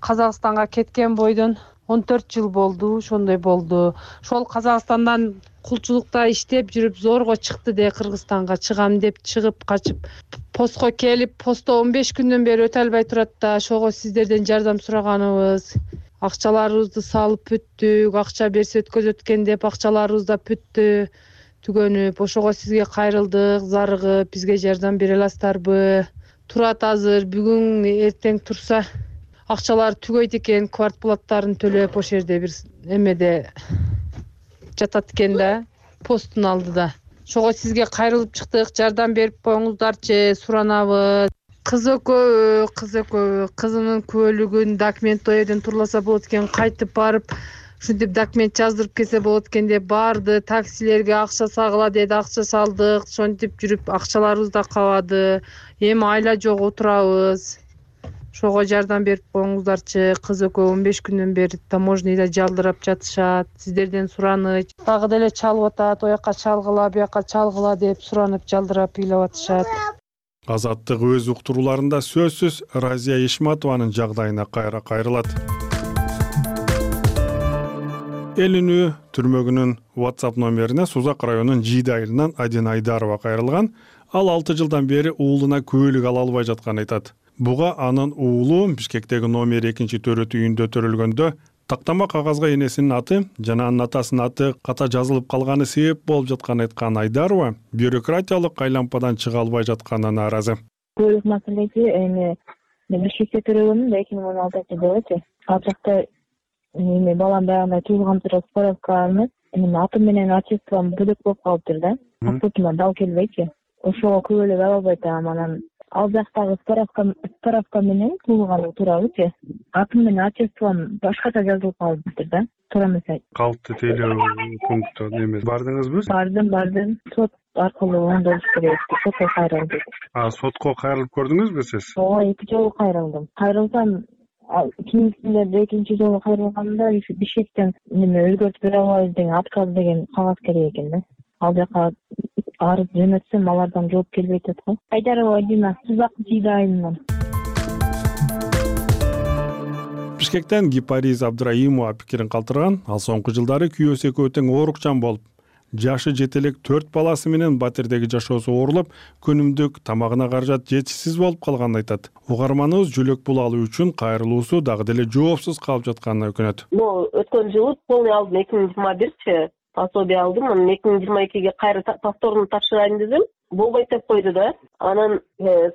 Казакстанга кеткен бойдон 14 жыл болду, ошондой болду. Ошол Казакстандан кулчулукта иштеп жүрүп зорго чыкты де Кыргызстанга чыгам деп чыгып качып постко келип, постто 15 күндөн бери өтө албай турат да. Ошого сиздерден жардам сураганыбыз. Акчаларыбызды салып бүттүк, акча берсе өткөзөткен деп акчаларыбыз да бүттү, түгөнүп. Ошого сизге кайрылдык, зарыгып, бизге жардам бере аласыздарбы? Турат азыр, бүгүн эртең турса акчалар түгөйт экен, квартплаттарын төлөп ошол жерде бир эмеде жатат экен да, посттун алдыда. Ошого сизге кайрылып чыктык, жардам берип коюңуздарчы, суранабыз. Кыз экөө, кызынын күбөлүгүн документ о жерден турласа болот экен, кайтып барып ушинтип документ жаздырып келсе болот экен деп барды, таксилерге акча сагыла деди, акча салдык, ошентип жүрүп акчаларыбыз да кабады. Эми айла жок отурабыз. Ошого жардам берип коюңуздарчы. Кыз экөө 15 күндөн бери таможняда жалдырап жатышат. Сиздерден сураныч. Дагы деле чалып атат, оякка чалгыла, буякка чалгыла деп суранып жалдырап ыйлап атышат. Азаттык өз уктурууларында сөзсүз Разия Эшматованын жагдайына кайра кайрылат. Эл үнү түрмөгүнүн WhatsApp номерине Сузак районунун Жийди айылынан Адина Айдарова кайрылган. Ал 6 жылдан бери уулуна күбөлүк ала албай жатканын айтат. Буга анын уулу Бишкектеги номер 2-төрөт үйүндө төрөлгөндө тактама кагазга энесинин аты жана анын атасынын аты ката жазылып калганы себеп болуп жатканын айткан Айдарова бюрократиялык айлампадан чыга албай жатканына нааразы. Күбөлүк маселеси эми мен Бишкекте төрөгөнмүн да 2016-жылы. Ал жакта эми балам баягындай туулган тура справка алынып, эми атым менен отчеством бөлөк болуп калыптыр да. Паспортума дал келбейчи. Ошого күбөлүк ала албай атам. Анан ал жактагы справка менен туулганым туурабычы. Атым менен отчеством башкача жазылып калыптыр да. Туура эмес. Калпты тейлөө пунктта эмес. Бардыңызбы? Бардым. Сот аркылуу оңдолуш керек. Сотко кайрылдым. Сотко кайрылып көрдүңүзбү сиз? Ооба, 2 жолу кайрылдым. Кайрылсам кийинкисинде экинчи жолу кайрылганда Бишкектен өзгөртүп бере албайбыз деген отказ деген кагаз керек экен да. Ал жака арыз жөнөтсөм алардан жооп келбей атат го. Айдарова Дина, Сузак Жийда айылынан. Бишкектен Гипариз Абдраимова пикирин калтырган. Ал соңку жылдары күйөөсү экөө тең оорукчан болуп, жашы жете элек 4 баласы менен батирдеги жашоосу оорулуп, күнүмдүк тамагына каражат жетишсиз болуп калганын айтат. Угарманыбыз жөлөк бул алуу үчүн кайрылуусу дагы деле жоопсуз калып жатканына өкүнөт. Өткөн жылы полный алдым 2021 пособие алдым. Анан 2022-ге кайра повторно тапшырайын дедим. Болбойт деп койду да. Анан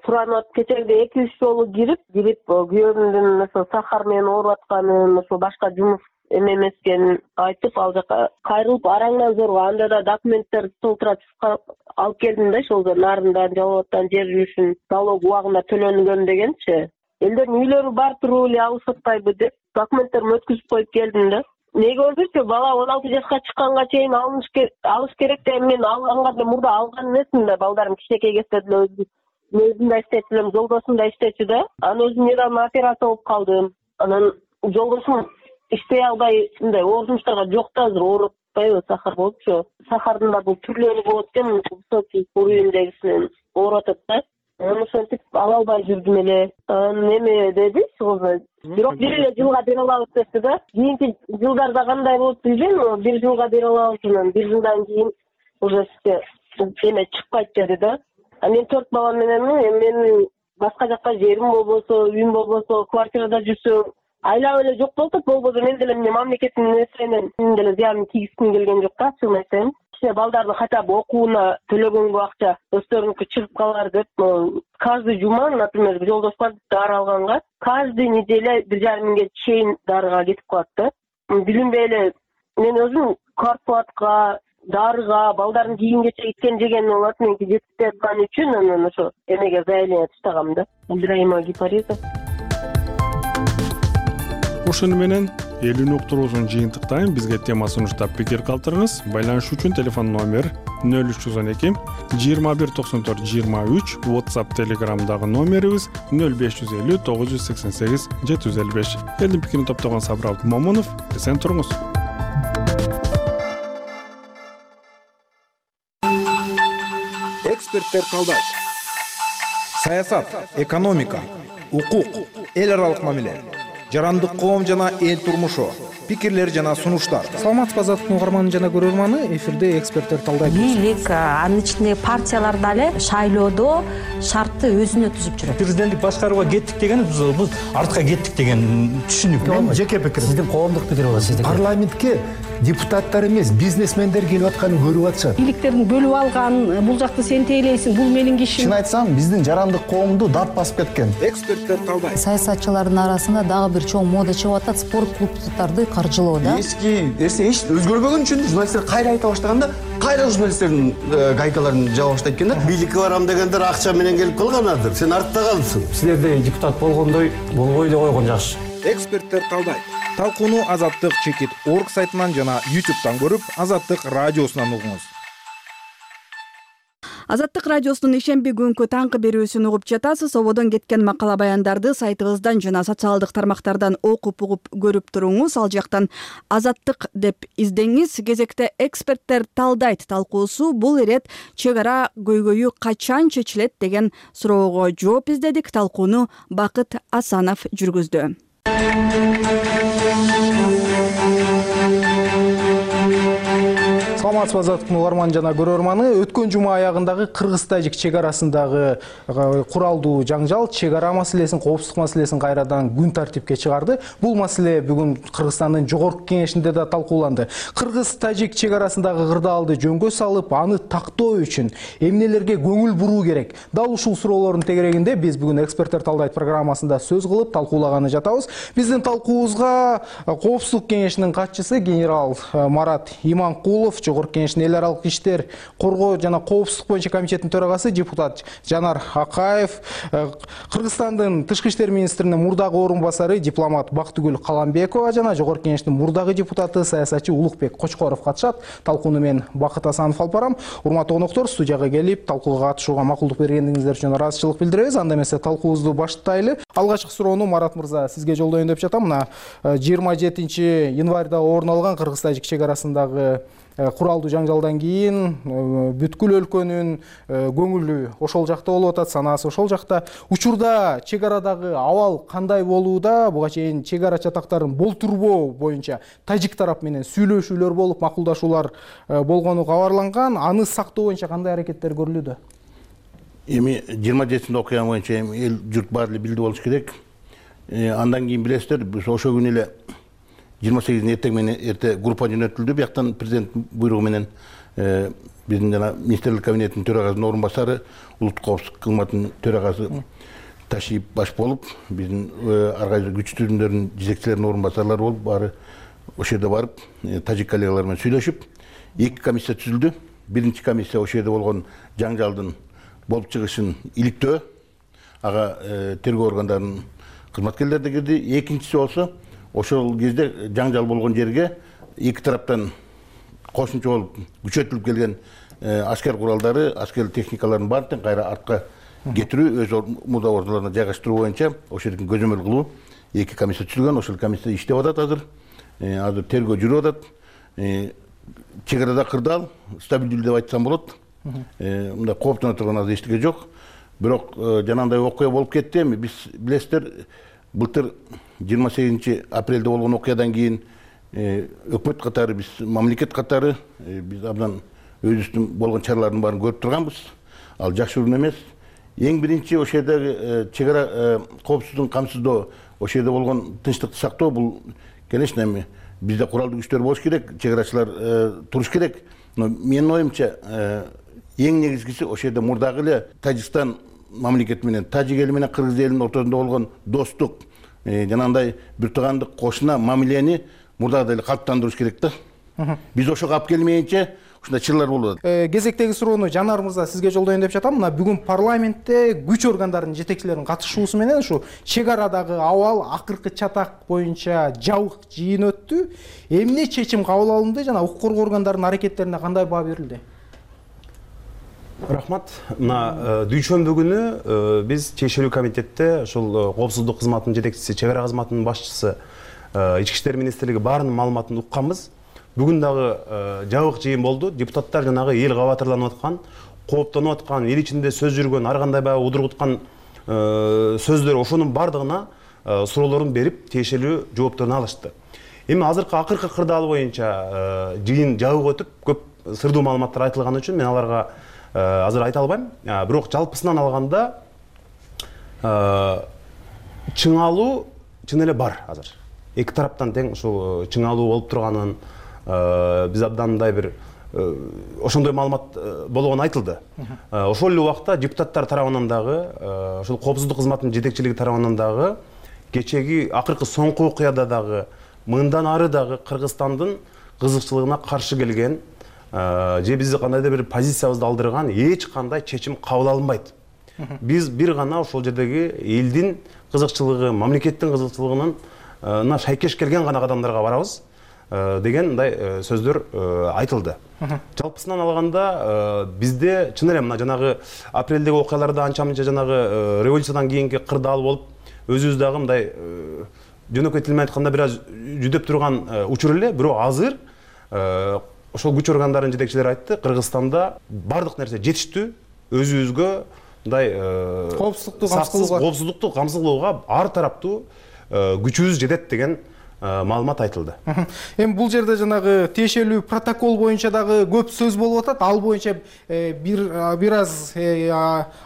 суранып кечерде 2-3 жолу кирип күйөөмдүн сахар менен ооруп атканын, башка жумуш эмескен айтып, ал жака кайрылып араңдан зорго анда да документтер толтуратып алып келдим да, ошол нарындан, жалооттан жер үчүн налог убагында төлөнгөн дегенчи. Элдердин үйлөрү бар туруп эле алышып атпайбы деп документтеримди өткүзүп коюп келдим да. Неге өзүрчү бала 16 жашка чыкканга чейин алыш керек деп мен алганга мурда алган эмесмин да. Балдарым кичинекей кезде деле өзүм да иштечү элем, жолдошум да иштечү да. Анан өзүм недавно операция болуп калдым. Анан жолдошум иштей албай мындай оорушмуштарга жок да, азыр ооруп атпайбы, сахар болупчу. Сахардын да бул түрлөрү болот экен, высокий уровеньдегисинен ооруп атат да. Ошентип ала албай жүрдүм эле. Неме деди, бирок бир эле жылга бере алабыз депти да. Кийинки жылдарда кандай болот билбейм, бир жылга бере алабыз, анан бир жылдан кийин уже эме чыкпайт деди да. Мен 4 бала мененмин, менин башка жакка жерим болбосо, үйүм болбосо, квартирада жүрсөм, айлап эле жок болуп, болбосо мен деле мамлекеттин нерсенен мен деле зыянын тийгизгим келген жок да, чын айтайын. Балдарды хотя бы окууна төлөгөнгө акча өздөрүнүкү чыгып калар деп, каждый жума, например, жолдош бар дары алганга, каждый неделя 1,5 миңге чейин дарыга кетип калат да. Билинбей эле мен өзүм квартплатка, дарыга, балдардын кийим кечек иткен жеген болот, меники жетип аткан үчүн анан ошо эмеге заявление таштагам да. Абдраимова Гипариза. Ошону менен элүүнү уктуруусун жыйынтыктайм. Бизге тема сунуштап пикир калтырыңыз. Байланыш үчүн телефон номер 0312 21 94 23, WhatsApp, Telegramдагы номерибиз 0550 988 755. Элдин пикирин топтогон Сабыр Абдымомунов. Эсен туруңуз. Эксперттер калдайт. Саясат, экономика, укук, эл аралык мамиле, жарандык коом жана эл турмушу, пикирлер жана сунуштар. Саламатсызбы Азаттык угарманы жана көрөрманы, эфирде эксперттер талдайт. Бийлик, анын ичинде партиялар дагы шайлоодо шартты өзүнө түзүп жүрөт. Президенттик башкарууга кеттик дегенибиз биз артка кеттик деген түшүнүк. Мен жеке пикирим. Сиздин коомдук пикир болот, сиздин. Парламентке депутаттар эмес, бизнесмендер келип атканын көрүп атышат. Бийликтердин бөлүп алган, бул жакты сен тейлейсиң, бул менин кишим. Чын айтсам, биздин жарандык коомду дат басып кеткен. Эксперттер талдайт. Саясатчылардын арасында дагы бир чоң мода чыгып атат, спорт клубдарды каржылоо да. Эски нерсе эч өзгөрбөгөн үчүн журналисттер кайра айта баштаганда, кайра журналисттердин гайкаларын жаба баштайт экен да. Бийликке барам дегендер акча менен келип калганадыр. Сен артта калыпсың. Силерде депутат болгондой болбой эле койгон жакшы. Эксперттер талдайт. Талкууну Азаттык чекит орг сайтынан жана YouTube'дан көрүп, Азаттык радиосунан угуңуз. Азаттык радиосунун ишемби күнкү таңкы берүүсүн угуп жатасыз. Ободон кеткен макала баяндарды сайтыбыздан жана социалдык тармактардан окуп угуп көрүп туруңуз. Ал жактан Азаттык деп издеңиз. Кезекте эксперттер талдайт талкуусу бул ирет чек ара көйгөйү качан чечилет деген суроого жооп издедик. Талкууну Бакыт Асанов жүргүздү. Саламатсызбы Азаттыктын угарманы жана көрөрманы. Өткөн жума аягындагы Кыргыз-Тажик чек арасындагы куралдуу жаңжал чек ара маселесин, коопсуздук маселесин кайрадан күн тартипке чыгарды. Бул маселе бүгүн Кыргызстандын жогорку кеңешинде да талкууланды. Кыргыз-Тажик чек арасындагы кырдаалды жөнгө салып, аны тактоо үчүн эмнелерге көңүл буруу керек? Дал ушул суроолордун тегерегинде биз бүгүн эксперттер талдайт программасында сөз кылып талкуулаганы жатабыз. Биздин талкуубузга коопсуздук кеңешинин катчысы генерал Марат Иманкулов, жогорку жогорку кеңештин эл аралык иштер коргоо жана коопсуздук боюнча комитетинин төрагасы депутат Жанар Акаев, Кыргызстандын тышкы иштер министринин мурдагы орун басары дипломат Бактыгүл Каламбекова жана жогорку кеңештин мурдагы депутаты саясатчы Улукбек Кочкоров катышат. Талкууну мен Бакыт Асанов алып барам. Урматтуу коноктор, студияга келип талкууга катышууга макулдук бергениңиздер үчүн ыраазычылык билдиребиз. Анда эмесе талкуубузду баштайлы. Алгачкы суроону Марат мырза сизге жолдоюн деп жатам. Мына 27-январда орун алган Кыргыз-Тажик чек арасындагы куралдуу жанжалдан кийин бүткүл өлкөнүн көңүлү ошол жакта болуп атат, санаасы ошол жакта. Учурда чек арадагы абал кандай болууда? Буга чейин чек ара чатактарын болтурбоо боюнча тажик тарап менен сүйлөшүүлөр болуп, макулдашуулар болгону кабарланган. Аны сактоо боюнча кандай аракеттер көрүлүүдө? Эми 27 окуя боюнча эл журт баары эле билди болуш керек. Андан кийин билесиздер, биз ошол күнү эле 28 эртең менен эрте группа жөнөтүлдү. Бияктан президент буйругу менен биздин жана министрлик кабинетинин төрагасынын орун басары, улуттук коопсуздук кызматынын төрагасы Ташиев баш болуп, биздин ар кайсы күч түзүмдөрүнүн жетекчилеринин орун басарлары болуп, баары ошол жерде барып, тажик коллегалар менен сүйлөшүп, 2 комиссия түзүлдү. Биринчи комиссия ошол жерде болгон жаңжалдын болуп чыгышын иликтөө, ага тергөө органдарынын кызматкерлери да кирди. Экинчиси болсо ошол кезде жаңжал болгон жерге эки тараптан кошумча болуп күчөтүлүп келген аскер куралдары, аскер техникаларын баарын кайра артка кетирүү, өз мурда ордуларына жайгаштыруу боюнча ошол жерден көзөмөл кылуу 2 комиссия түзүлгөн. Ошол комиссия иштеп атат азыр. Азыр тергөө жүрүп атат. Чек арада кырдаал, стабилдүү деп айтсам болот. Мындай кооптоно турган азыр эчтеке жок. Бирок жанагындай окуя болуп кетти. Эми биз билесиздер, былтыр 28 апрелде болгон окуядан кийин өкмөт катары, биз мамлекет катары биз абдан өзүбүздүн болгон чаралардын баарын көрүп турганбыз. Ал жакшы урун эмес. Эң биринчи ошол жердеги чек ара коопсуздугун камсыздоо, ошол жерде болгон тынчтыкты сактоо, бул конечно эми бизде куралдуу күчтөр болуш керек, чек арачылар туруш керек. Но менин оюмча эң негизгиси ошол жерде мурдагы эле Тажикстан мамлекети менен тажик эли менен кыргыз элинин ортосунда болгон достук, жанагындай бир туугандык кошуна мамилени мурдагыдай эле калыптандырыш керек да. Биз ошого алып келмейинче ушундай чырлар болуп атат. Кезектеги суроону Жанар мырза сизге жолдоюн деп жатам. Мына бүгүн парламентте күч органдарынын жетекчилеринин катышуусу менен ушу чек арадагы абал акыркы чатак боюнча жабык жыйын өттү. Эмне чечим кабыл алынды жана укук коргоо органдарынын аракеттерине кандай баа берилди? Рахмат. Мына дүйшөмбү күнү биз чечилүү комитетте ушул коопсуздук кызматынын жетекчиси, чек ара кызматынын башчысы, Ички иштер министрлиги баарынын маалыматын укканбыз. Бүгүн дагы жабык жыйын болду. Депутаттар жанагы эл кабатырланып аткан, кооптонуп аткан, эл ичинде сөз жүргөн, ар кандай баягы удургуткан сөздөр ошонун бардыгына суроолорун берип, тиешелүү жоопторун алышты. Эми азыркы акыркы кырдаал боюнча жыйын жабык өтүп, көп сырдуу маалыматтар айтылганы үчүн мен аларга азыр айта албайм. Бирок жалпысынан алганда чыңалуу чын эле бар азыр. Эки тараптан тең ушул чыңалуу болуп турганын биз абдан мындай бир ошондой маалымат болгону айтылды. Ошол эле убакта депутаттар тарабынан дагы, ошол коопсуздук кызматынын жетекчилиги тарабынан дагы кечеги акыркы соңку окуяда дагы мындан ары дагы Кыргызстандын кызыкчылыгына каршы келген же бизди кандайдыр бир позициябызды алдырган эч кандай чечим кабыл алынбайт. Биз бир гана ошол жердеги элдин кызыкчылыгы, мамлекеттин кызыкчылыгынын шайкеш келген гана кадамдарга барабыз деген мындай сөздөр айтылды. Жалпысынан алганда бизде чын эле мына жанагы апрелдеги окуяларда анча-мынча жанагы революциядан кийинки кырдаал болуп, өзүбүз дагы мындай жөнөкөй тил менен айтканда бир аз жүдөп турган учур эле, бирок азыр ошол күч органдарынын жетекчилери айтты, Кыргызстанда бардык нерсе жетиштүү, өзүбүзгө мындай коопсуздукту камсыз кылууга ар тараптуу күчүбүз жетет деген маалымат айтылды. Эми бул жерде жанагы тиешелүү протокол боюнча дагы көп сөз болуп атат. Ал боюнча бир аз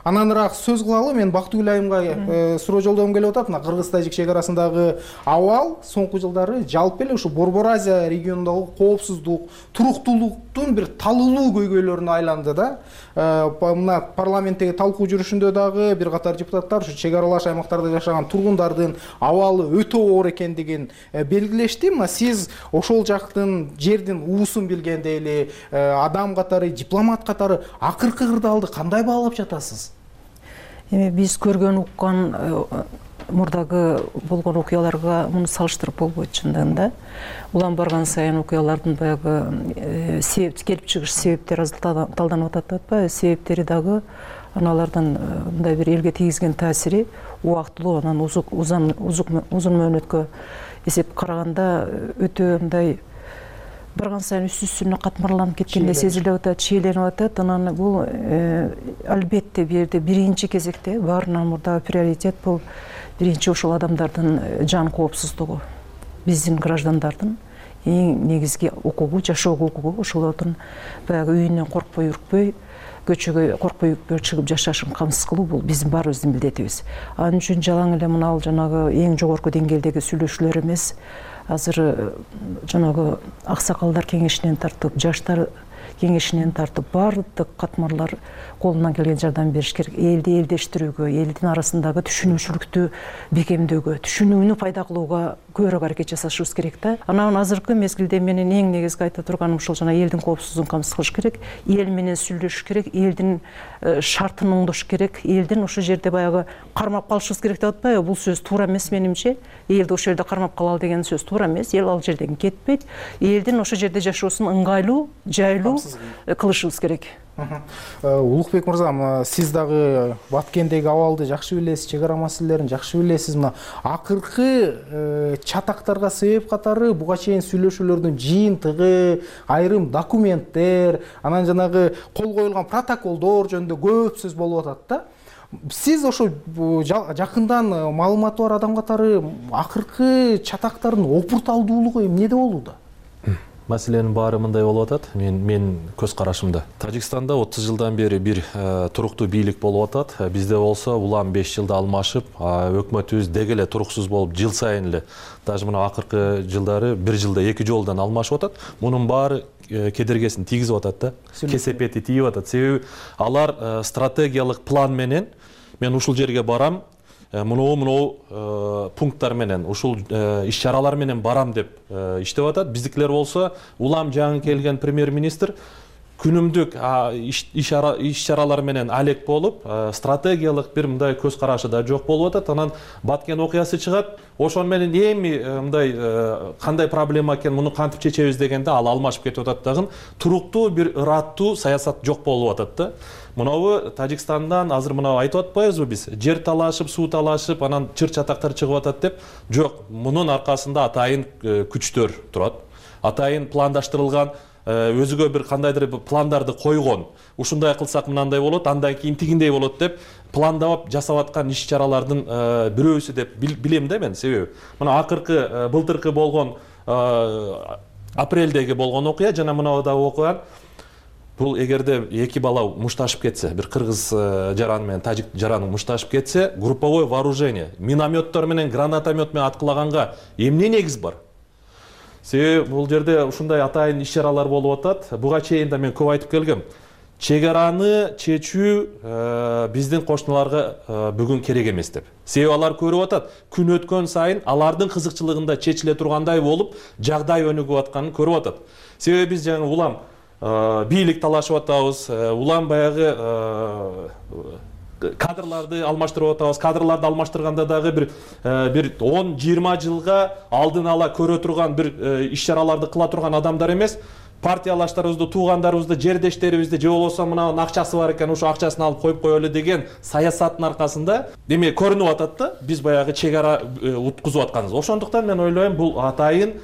ананыраак сөз кылалы. Мен Бактыгүл айымга суроо жолдогум келип атат. Мына Кыргыз-Тажик чек арасындагы абал соңку жылдары жалпы эле ушу Борбор Азия регионундагы коопсуздук, туруктуулуктун бир талылуу көйгөйлөрүнө айланды да. Мына парламенттеги талкуу жүрүшүндө дагы бир катар депутаттар ушу чек аралаш аймактарда жашаган тургундардын абалы өтө оор экендигин белгилешти. Мына сиз ошол жактын жердин уусун билгендей эле адам катары, дипломат катары акыркы кырдаалды кандай баалап жатасыз? Эми биз көргөн уккан мурдагы болгон окуяларга муну салыштырып болбойт чындыгында. Улам барган сайын окуялардын баягы келип чыгыш себептери талданып атат атпайбы? Себептери дагы аналардын мындай бир элге тийгизген таасири убактылуу, анан узун мөөнөткө эсеп караганда өтө мындай барган сайын үстүнө катмарланып кеткендей сезилип атат, чийленип атат. Анан бул албетте бул жерде биринчи кезекте баарынан мурда приоритет бул биринчи ошол адамдардын жан коопсуздугу, биздин граждандардын эң негизги укугу, жашоого укугу, ошолордун баягы үйүнөн коркпой үркпөй, көчөгө коркпой үркпөй чыгып жашашын камсыз кылуу бул биздин баарыбыздын милдетибиз. Анын үчүн жалаң эле мына жанагы эң жогорку деңгээлдеги сүйлөшүүлөр эмес, азыр жанагы аксакалдар кеңешинен тартып, жаштар кеңешинен тартып баардык катмарлар колунан келген жардам бериш керек. Элди элдештирүүгө, элдин арасындагы түшүнүүчүлүктү бекемдөөгө, түшүнүүнү пайда кылууга көбүрөөк аракет жасашыбыз керек да. Анан азыркы мезгилде менин эң негизги айта турганым ушул жана элдин коопсуздугун камсыз кылыш керек, эл менен сүйлөшүш керек, элдин шартын оңдош керек, элдин ошол жерде баягы кармап калышыбыз керек деп атпайбы? Бул сөз туура эмес менимче. Элди ошол жерде кармап калалы деген сөз туура эмес. Эл ал жерден кетпейт. Элдин ошол жерде жашоосун ыңгайлуу, жайлуу кылышыбыз керек. Улукбек мырза, сиз дагы Баткендеги абалды жакшы билесиз, чек ара маселелерин жакшы билесиз. Мына акыркы чатактарга себеп катары буга чейин сүйлөшүүлөрдүн жыйынтыгы, айрым документтер, анан жанагы кол коюлган протоколдор жөнүндө көп сөз болуп атат да. Сиз ошо жакындан маалыматы бар адам катары акыркы чатактардын опурталдуулугу эмнеде болууда? Маселенин баары мындай болуп атат. Мен көз карашымда. Тажикстанда 30 жылдан бери бир туруктуу бийлик болуп атат. Бизде болсо улам 5 жылда алмашып, өкмөтүбүз деги эле туруксуз болуп, жыл сайын эле, даже мына акыркы жылдары 1 жылда 2 жолдон алмашып атат. Мунун баары кедергесин тийгизип атат да. Кесепети тийип атат. Себеби алар стратегиялык план менен мен ушул жерге барам, мынау пункттар менен, ушул иш-чаралар менен барам деп иштеп атат. Биздикилер болсо улам жаңы келген премьер-министр күнүмдүк иш-чаралар менен алек болуп, стратегиялык бир мындай көз карашы да жок болуп атат. Анан Баткен окуясы чыгат. Ошон менен эми мындай кандай проблема экен, муну кантип чечебиз дегенде ал алмашып кетип атат дагы. Туруктуу бир ыраттуу саясат жок болуп атат да. Мынабы Тажикстандан азыр мына айтып атпайбызбы биз? Жер талашып, суу талашып, анан чыр-чатактар чыгып атат деп. Жок, мунун аркасында атайын күчтөр турат. Атайын пландаштырылган, өзүгө бир кандайдыр пландарды койгон. Ушундай кылсак мынандай болот, андан кийин тигиндей болот деп пландап жасап аткан иш-чаралардын бирөөсү деп билем да мен. Себеби мына акыркы былтыркы болгон апрелдеги болгон окуя жана мынада окуган. Бул эгерде эки бала мушташып кетсе, бир кыргыз жаран менен тажик жараны мушташып кетсе, групповое вооружение, минометтор менен, гранатомет менен аткылаганга эмне негиз бар? Себеби бул жерде ушундай атайын иш-чаралар болуп атат. Буга чейин да мен көп айтып келгем. Чек араны чечүү биздин кошуналарга бүгүн керек эмес деп. Себеби алар көрүп атат, күн өткөн сайын алардын кызыкчылыгында чечиле тургандай болуп, жагдай өнүгүп атканын көрүп атат. Себеби биз жаңы улам бийлик талашып атабыз, улам баягы кадрларды алмаштырып атабыз. Кадрларды алмаштырганда дагы бир 10-20 жылга алдын ала көрө турган бир иш-чараларды кыла турган адамдар эмес, партиялаштарыбызды, туугандарыбызды, жердештерибизди же болбосо мына акчасы бар экен, ошо акчасын алып коюп коелу деген саясаттын аркасында эме көрүнүп атат да, биз баягы чек ара уткузуп атканыбыз. Ошондуктан мен ойлойм, бул атайын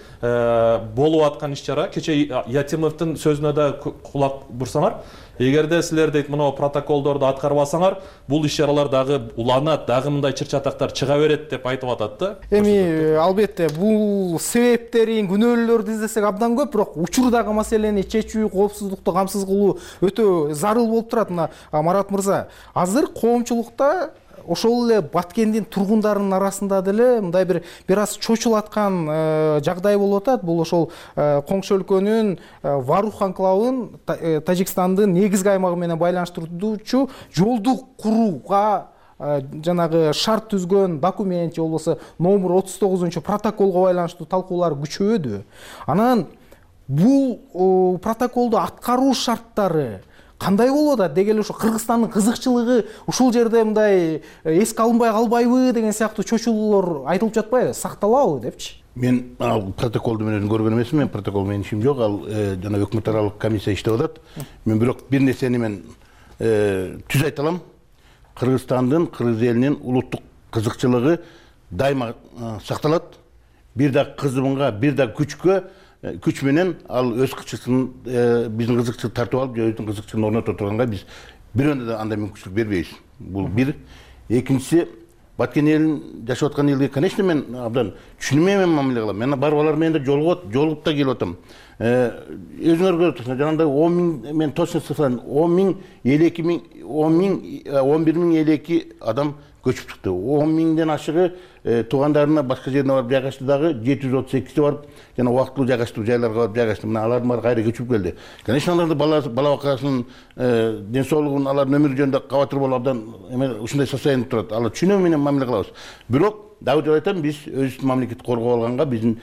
болуп аткан иш-чара. Кече Ятимовдун сөзүнө да кулак бурсаңар, эгерде силер дейт мына протоколдорду аткарбасаңар, бул иш-чаралар дагы уланат, дагы мындай чыр-чатактар чыга берет деп айтып атат да. Эми албетте бул себептерин, күнөөлөрдү издесек абдан көп, бирок учурдагы маселени чечүү, коопсуздукту камсыз кылуу өтө зарыл болуп турат. Мына Марат мырза, азыр коомчулукта ошол эле Баткендин тургундарынын арасында деле мындай бир аз чочулаткан жагдай болуп атат. Бул ошол коңшу өлкөнүн Варух анклавын Тажикстандын негизги аймагы менен байланыштыруучу жолду курууга жанагы шарт түзгөн документ же болбосо номер 39 протоколго байланыштуу талкуулар күчөдү. Анан бул протоколду аткаруу шарттары кандай болуп атат деги эле ушу Кыргызстандын кызыкчылыгы ушул жерде мындай эске алынбай калбайбы деген сыяктуу чочулуулар айтылып жатпайбы, сакталабы депчи. Мен ал протоколду мен өзүм көргөн эмесмин, мен протокол менен ишим жок, ал жана өкмөт аралык комиссия иштеп атат. Мен бирок бир нерсени мен түз айта алам. Кыргызстандын, кыргыз элинин улуттук кызыкчылыгы дайыма сакталат. Бир да кызымга, бир да күч менен ал өз кызыкчылыгын биздин кызыкчылыкты тартып алып, өзүнүн кызыкчылыгын орното турганга биз бирөөндө да андай мүмкүнчүлүк бербейбиз. Бул бир. Экинчиси, баткен элин жашап аткан элге, конечно, мен абдан түшүнмөй мамиле кылам. Мен барып алар менен да жолугуп да келип атам. Өзүңөр көрүп турсуңар, жанагындай 10 миң, мен точно цифраны 10 миң, 11 миң элеки адам көчүп чыкты. 10 миңден ашыгы туугандарына башка жерине барып жайгашты дагы, 738 барып жана убактылуу жайгаштуу жайларга барып жайгашты. Мына алардын баары кайра көчүп келди. Конечно, аларды бала бакасынын ден соолугун, алардын өмүрү жөнүндө кабатыр болуп абдан ушундай состояниеде турат. Алар түшүнүү менен мамиле кылабыз. Бирок дагы деп айтам, биз өзүбүздүн мамлекетти коргоп алганга биздин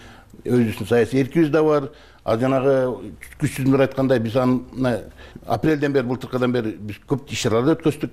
өзүбүздүн саясий эркибиз да бар. Ал жанагы күчсүздөр айткандай, биз аны апрелден бери, былтыркыдан бери биз көп иш-чаралар өткөздүк.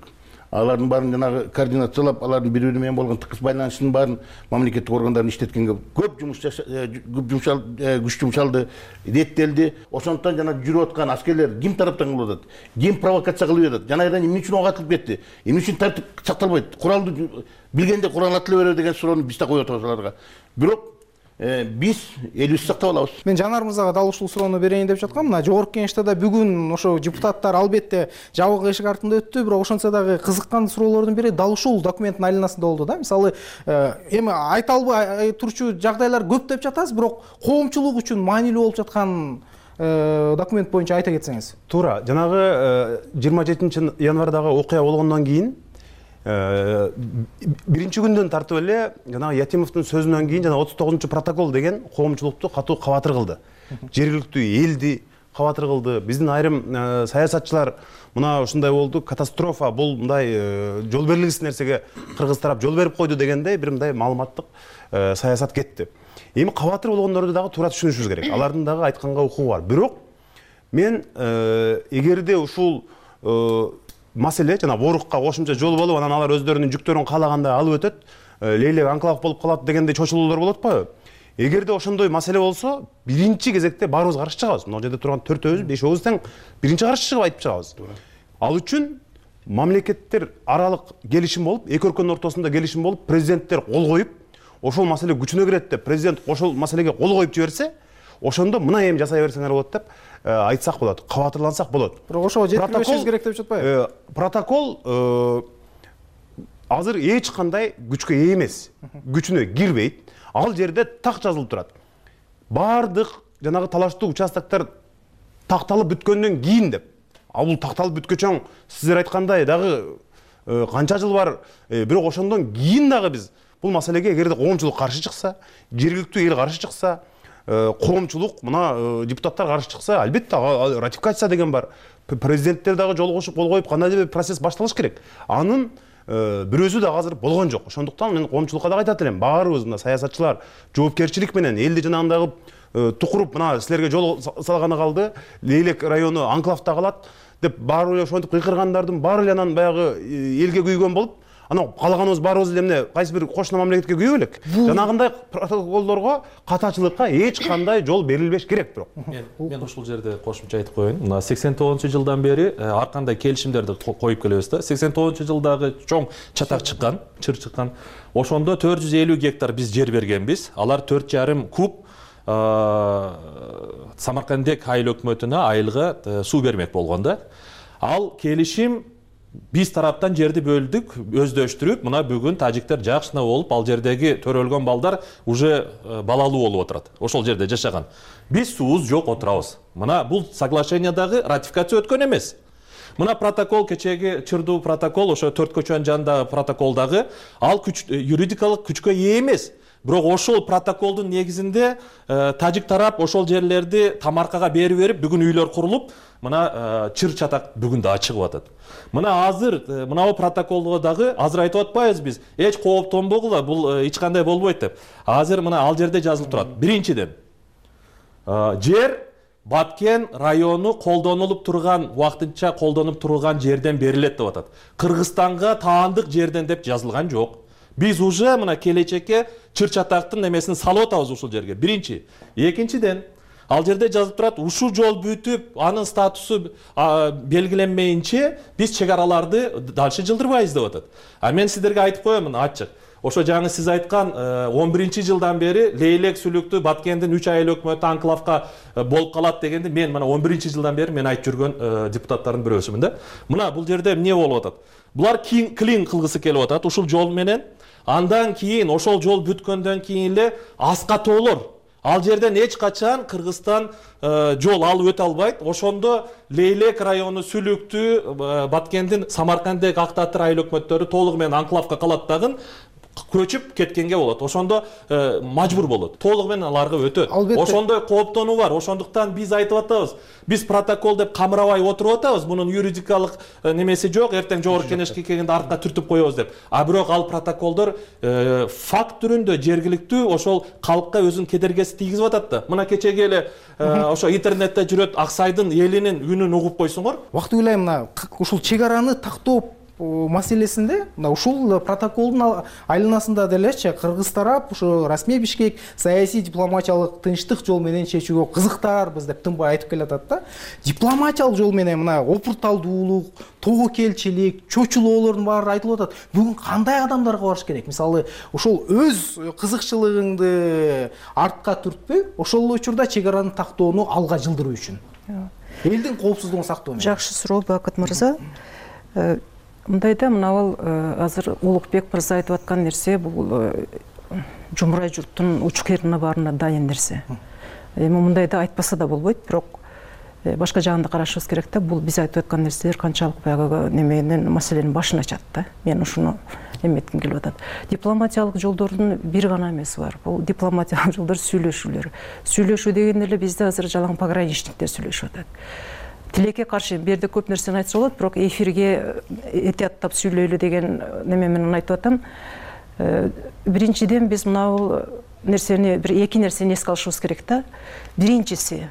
Алардын баарын жанагы координациялап, алардын бири-бири менен болгон тыкыз байланышынын баарын мамлекеттик органдарын иштеткенге көп күч жумшалды, реттелди. Ошондуктан жана жүрүп аткан аскерлер ким тараптан кылып атат, ким провокация кылып атат, жана эмне үчүн ок атылып кетти, эмне үчүн тартип сакталбайт, куралды билгенде курал атыла берет деген суроону биз да коюп атабыз аларга. Бирок биз элибизди сактап алабыз. Мен Жанар мырзага дал ушул суроону берейин деп жаткам. Мына жогорку кеңеште да бүгүн ошо депутаттар албетте жабык эшик артында өттү, бирок ошентсе дагы кызыккан суроолордун бири дал ушул документтин айланасында болду да. Мисалы, эми айта албай турчу жагдайлар көп деп жатасыз, бирок коомчулук үчүн маанилүү болуп жаткан документ боюнча айта кетсеңиз. Туура, жанагы 27 январдагы окуя болгондон кийин биринчи күндөн тартып эле жанагы Ятимовдун сөзүнөн кийин жана 39 протокол деген коомчулукту катуу кабатыр кылды. Жергиликтүү элди кабатыр кылды. Биздин айрым саясатчылар мына ушундай болду, катастрофа, бул мындай жол берилгисиз нерсеге кыргыз тарап жол берип койду дегендей бир мындай маалыматтык саясат кетти. Эми кабатыр болгондорду дагы туура түшүнүшүбүз керек. Алардын дагы айтканга укугу бар. Бирок мен эгерде ушул маселе жана Борукка кошумча жол болуп, анан алар өздөрүнүн жүктөрүн каалагандай алып өтөт, лейлек анклав болуп калат дегендей чочулуулар болот атпайбы? Эгерде ошондой маселе болсо, биринчи кезекте баарыбыз каршы чыгабыз. Мына жерде турган 4-өбүз, 5-өбүз тең биринчи каршы чыгып айтып чыгабыз. Ал үчүн мамлекеттер аралык келишим болуп, эки өлкөнүн ортосунда келишим болуп, президенттер кол коюп, ошол маселе күчүнө кирет деп президент ошол маселеге кол коюп жиберсе, ошондо мына эми жасай берсеңер болот деп айтсак болот, кабатырлансак болот. Бирок ошого жеткиришибиз керек деп жатпайбы? Протокол азыр эч кандай күчкө ээ эмес, күчүнө кирбейт. Ал жерде так жазылып турат. Бардык жанагы талаштуу участоктор такталып бүткөндөн кийин деп. Ал бул такталып бүткөчөң сиздер айткандай дагы канча жыл бар, бирок ошондон кийин дагы биз бул маселеге эгерде коомчулук каршы чыкса, жергиликтүү эл каршы чыкса, коомчулук мына депутаттар каршы чыкса, албетте ратификация деген бар. Президенттер дагы жол кошуп кол коюп кандайдыр бир процесс башталыш керек. Анын бирөөсү да азыр болгон жок. Ошондуктан мен коомчулукка да айтат элем, баарыбыз мына саясатчылар жоопкерчилик менен элди жанагындай тукуруп мына силерге жол салганы калды, Лейлек району анклавда калат деп баары эле ошентип кыйкыргандардын баары эле анан баягы элге күйгөн болуп, анан калаганыбыз баарыбыз эле эмне кайсы бир кошуна мамлекетке күйө белек. Жанагындай протоколдорго, катачылыкка эч кандай жол берилбеш керек. Бирок мен ушул жерде кошумча айтып коеюн. Мына 89-жылдан бери ар кандай келишимдерди коюп келебиз да. 89-жылдагы чоң чатак чыккан, чыр чыккан. Ошондо 450 гектар биз жер бергенбиз. Алар 4,5 куб Самаркандек айыл өкмөтүнө айылга суу бермек болгон да. Ал келишим биз тараптан жерди бөлдүк, өздөштүрүп, мына бүгүн тажиктер жакшына болуп, ал жердеги төрөлгөн балдар уже балалуу болуп отурат. Ошол жерде жашаган. Биз суубуз жок отурабыз. Мына бул соглашениядагы ратификация өткөн эмес. Мына протокол, кечеги чырдуу протокол, ошо 4 көчөнүн жанындагы протоколдагы ал юридикалык күчкө ээ эмес. бирок ошол протоколдун негизинде тажик тарап ошол жерлерди тамаркага берип бүгүн үйлөр курулуп мына чыр чатак бүгүн дагы чыгып атат. Мына азыр мынабу протоколго дагы азыр айтып атпайбыз биз эч кооптонбогула, бул эч кандай болбойт деп. Азыр мына ал жерде жазылып турат. Биринчиден жер Баткен району колдонулуп турган, вакытынча колдонуп турган жерден берилет деп атат. Кыргызстанга таандык жерден деп жазылган жок. Биз уже мына келечекке чыр чатактын немесин салып атабыз ушул жерге. Биринчи. Экинчиден ал жерде жазылып турат, ушул жол бүтүп, анын статусу белгиленмейинче биз чек араларды дальше жылдырбайбыз деп атат. Мен сиздерге айтып коёмун ачык. Ошо жаңы сиз айткан 11-жылдан бери Лейлек сүлүктүү Баткендин 3 айыл өкмөтү анклавка болуп калат дегенди мен мына 11-жылдан бери мен айтып жүргөн депутаттардын бирөөсүмүн да. Мына бул жерде эмне болуп атат? Булар клин кылгысы келип атат ушул жол менен. Андан кийин ошол жол бүткөндөн кийин эле аска тоолор. Ал жерден эч качан Кыргызстан жол алып өтө албайт. Ошондо Лейлек району сүлүктүү Баткендин Самаркандек Актатыр айыл өкмөттөрү толугу менен анклавка калат дагы көчүп кеткенге болот. Ошондо мажбур болот. Толугу менен аларга өтөт. Ошондой кооптонуу бар. Ошондуктан биз айтып атабыз. Биз протокол деп камырабай отуруп атабыз. Мунун юридикалык немеси жок. Эртең жогорку кеңешке келгенде артка түртүп коебуз деп. Бирок ал протоколдор факт түрүндө жергиликтүү ошол калкка өзүнүн кедергеси тийгизип атат да. Мына кечеге эле ошо интернетте жүрөт Аксайдын элинин үнүн угуп койсуңор. Убакыт ойлойм мына ушул чек араны тактоо маселесинде мына ушул протоколдун айланасында делечи кыргыз тарап ушу расмий Бишкек саясий дипломатиялык тынчтык жол менен чечүүгө кызыктаарбыз деп тынбай айтып келатат да. Дипломатиялык жол менен мына опурталдуулук, тобокелчилик, чочулоолордун баары айтылып атат. Бүгүн кандай адамдарга барыш керек? Мисалы, ошол өз кызыкчылыгыңды артка түртпөй, ошол учурда чек араны тактоону алга жылдыруу үчүн. Элдин коопсуздугун сактоо менен. Жакшы суроо Бакыт мырза. Мындайда мынабул азыр Улукбек мырза айтып аткан нерсе бул жумурай журттун учкерine баарына дайын нерсе. Эми мындайда айтпаса да болбойт, бирок башка жагында карашыбыз керек да. Бул биз айтып аткан нерселер канчалык баягы неменин маселенин башын ачат да. Мен ушуну эметким келип атат. Дипломатиялык жолдордун бир гана эмеси бар. Бул дипломатиялык жолдор сүйлөшүүлөр. Сүйлөшүү дегенде эле бизде азыр жалаң пограничниктер сүйлөшүп атат. Тилекке каршы бул жерде көп нерсени айтса болот, бирок эфирге этияттап сүйлөйлү деген неме менен айтып атам. Биринчиден биз мына нерсени эки нерсени эске алышыбыз керек да. Биринчиси,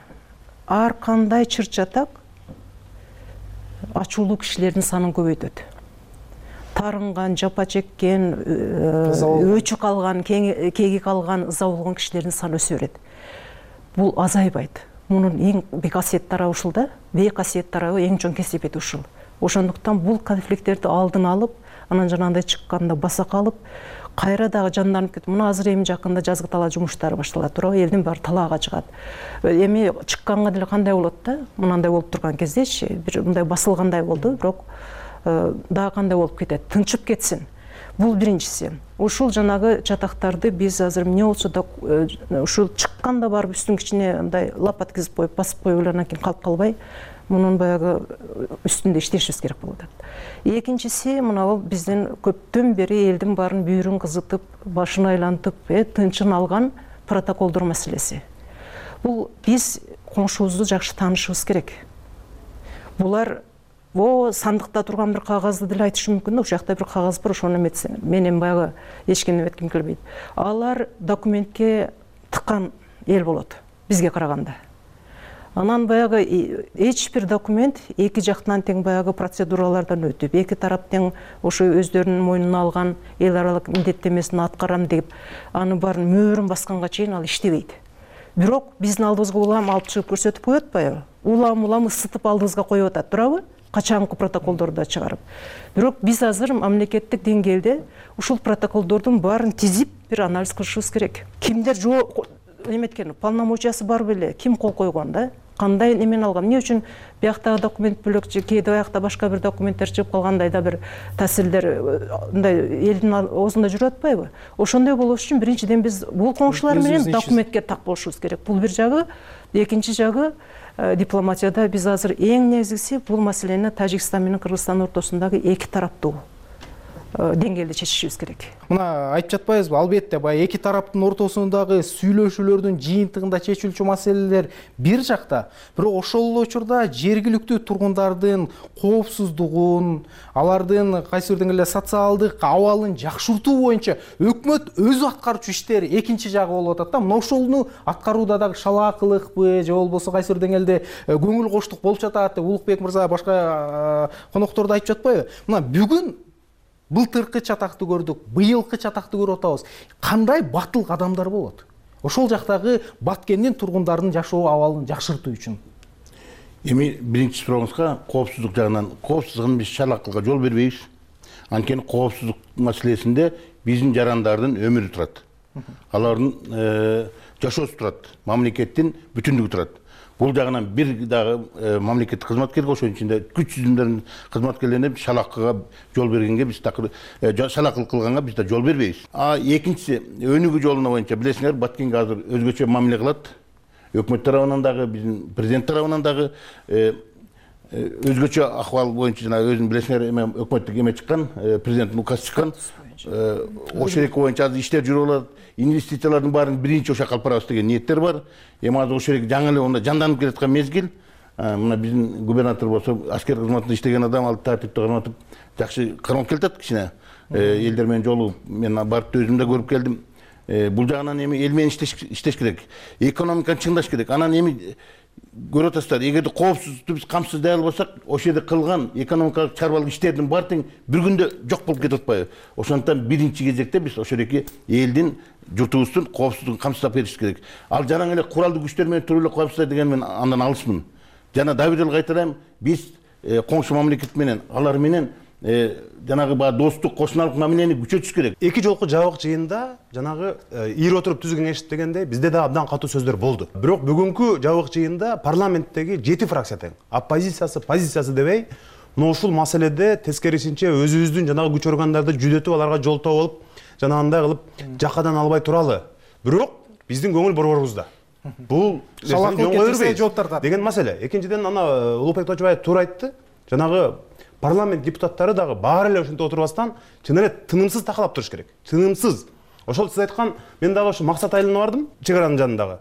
ар кандай чыр чатак ачуулуу кишилердин санын көбөйтөт. Тарынган, жапа чеккен, өчү калган, кеги калган, ыза болгон кишилердин саны өсө берет. Бул азайбайт. Мунун эң бек касиет тарабы ушул да. Бек касиет тарабы эң чоң кесепети ушул. Ошондуктан бул конфликттерди алдын алып, анан жанагындай чыкканда баса калып, кайра дагы жанданып кетип, мына азыр эми жакында жазгы талаа жумуштары башталат, туурабы? Элдин баары талаага чыгат. Эми чыкканга деле кандай болот да? Мынандай болуп турган кездечи, бир мындай басылгандай болду, бирок дагы кандай болуп кетет? Тынчып кетсин. Бул биринчиси. Ушул жанагы чатактарды биз азыр эмне болсо да ушул чыкканда барып үстүн кичине мындай лап аткызып коюп, басып коюп эле анан кийин калып калбай, мунун баягы үстүндө иштешибиз керек болуп атат. Экинчиси, мына бул биздин көптөн бери элдин баарын бүйүрүн кызытып, башын айлантып, тынчын алган протоколдор маселеси. Бул биз коңшубузду жакшы таанышыбыз керек. Булар сандыкта турган бир кагазды деле айтышы мүмкүн да, ошол жакта бир кагаз бар, ошону эметсин. Мен эми баягы эч кимди эметким келбейт. Алар документке тыккан эл болот бизге караганда. Анан баягы эч бир документ эки жактан тең баягы процедуралардан өтүп, эки тарап тең ошо өздөрүнүн мойнуна алган эл аралык милдеттемесин аткарам деп, аны баарын мөөрүн басканга чейин ал иштебейт. Бирок биздин алдыбызга улам алып чыгып көрсөтүп коет атпайбы? Улам ысытып алдыбызга коюп атат, туурабы? Качанкы протоколдорду чыгарып. Бирок биз азыр мамлекеттик деңгээлде ушул протоколдордун баарын тизип бир анализ кылышыбыз керек. Кимдер эметкен, полномочиясы бар беле, ким кол койгон да? Кандай немен алган? Эмне үчүн бияктагы документ бөлөк, кээде биякта башка бир документтер чыгып калгандай да бир тасилдер мындай элдин оозунда жүрүп атпайбы? Ошондой болуш үчүн биринчиден биз бул коңшулар менен документке так болушубуз керек. Бул бир жагы, экинчи жагы дипломатияда биз азыр эң негизгиси бул маселени Тажикстан менен Кыргызстан ортосундагы эки тараптуу деңгээлде чечишибиз керек. Мына айтып жатпайбызбы, албетте баягы эки тараптын ортосундагы сүйлөшүүлөрдүн жыйынтыгында чечилчү маселелер бир жакта, бирок ошол эле учурда жергиликтүү тургундардын коопсуздугун, алардын кайсы бир деңгээлде социалдык абалын жакшыртуу боюнча өкмөт өзү аткарчу иштер экинчи жагы болуп атат да. Мына ошону аткарууда дагы шалаакылыкпы же болбосо кайсы бир деңгээлде көңүл коштук болуп жатат деп Улукбек мырза башка конокторду айтып жатпайбы? Мына бүгүн былтыркы чатакты көрдүк, быйылкы чатакты көрүп атабыз. Кандай батыл кадамдар болот ошол жактагы Баткендин тургундардын жашоо абалын жакшыртуу үчүн? Эми биринчи сурооңузга коопсуздук жагынан, коопсуздугун биз шалаакылыкка жол бербейбиз. Анткени коопсуздук маселесинде биздин жарандардын өмүрү турат. Алардын жашоосу турат, мамлекеттин бүтүндүгү турат. Бул жагынан бир дагы мамлекеттик кызматкер, ошонун ичинде күч жүзүндөрүн кызматкерлерине шалаакыга жол бергенге биз шалаакылык кылганга биз да жол бербейбиз. Экинчиси, өнүгүү жолуна боюнча билесиңер, Баткенге азыр өзгөчө мамиле кылат. Өкмөт тарабынан дагы, биздин президент тарабынан дагы өзгөчө акыбал боюнча жана өзүң билесиңер, эме өкмөттүк эме чыккан, президенттин указы чыккан. Ошол эки боюнча азыр иштер жүрүп атат. Инвестициялардын баарын биринчи ошо калып барабыз деген ниеттер бар. Эми азыр ошол жаңы эле онда жанданып келаткан мезгил. Мына биздин губернатор болсо аскер кызматында иштеген адам, ал тартипти кызматып жакшы кармап келатат кичине. Элдер менен жолугуп, мен барып өзүм да көрүп келдим. Бул жагынан эми эл менен иштеш керек. Экономиканы чыңдаш керек. Анан эми көрүп атасыздар, эгерде коопсуздукту биз камсыздай албасак, ошол жерде кылган экономикалык чарбалык иштердин баары тең бир күндө жок болуп кетип атпайбы? Ошондуктан биринчи кезекте биз ошол эки элдин, журтубуздун коопсуздугун камсыздап бериш керек. Ал жанагы эле куралдуу күчтөр менен туруп эле коопсуздай деген мен андан алысмын. Жана дагы бир эле кайталайм, биз коңшу мамлекет менен, алар менен жанагы баягы достук, кошуналык мамилени күчөтүш керек. Эки жолку жабык жыйында жанагы ийип отуруп түз кеңеш дегендей бизде да абдан катуу сөздөр болду. Бирок бүгүнкү жабык жыйында парламенттеги 7 фракция тең, оппозициясы, позициясы дебей, мына ушул маселеде тескерисинче өзүбүздүн жанагы күч органдарды жүдөтүп, аларга жолтоо болуп, жанагындай кылып жакадан албай туралы. Бирок биздин көңүл борборубузда. Бул шалаакылык жооп тартат деген маселе. Экинчиден, ана Улукбек Тожобаев туура айтты. Жанагы парламент депутаттары дагы баары эле ошентип отурбастан чын эле тынымсыз такалап туруш керек. Тынымсыз. Ошол сиз айткан, мен дагы ошо Максат айылына бардым, чек аранын жанындагы.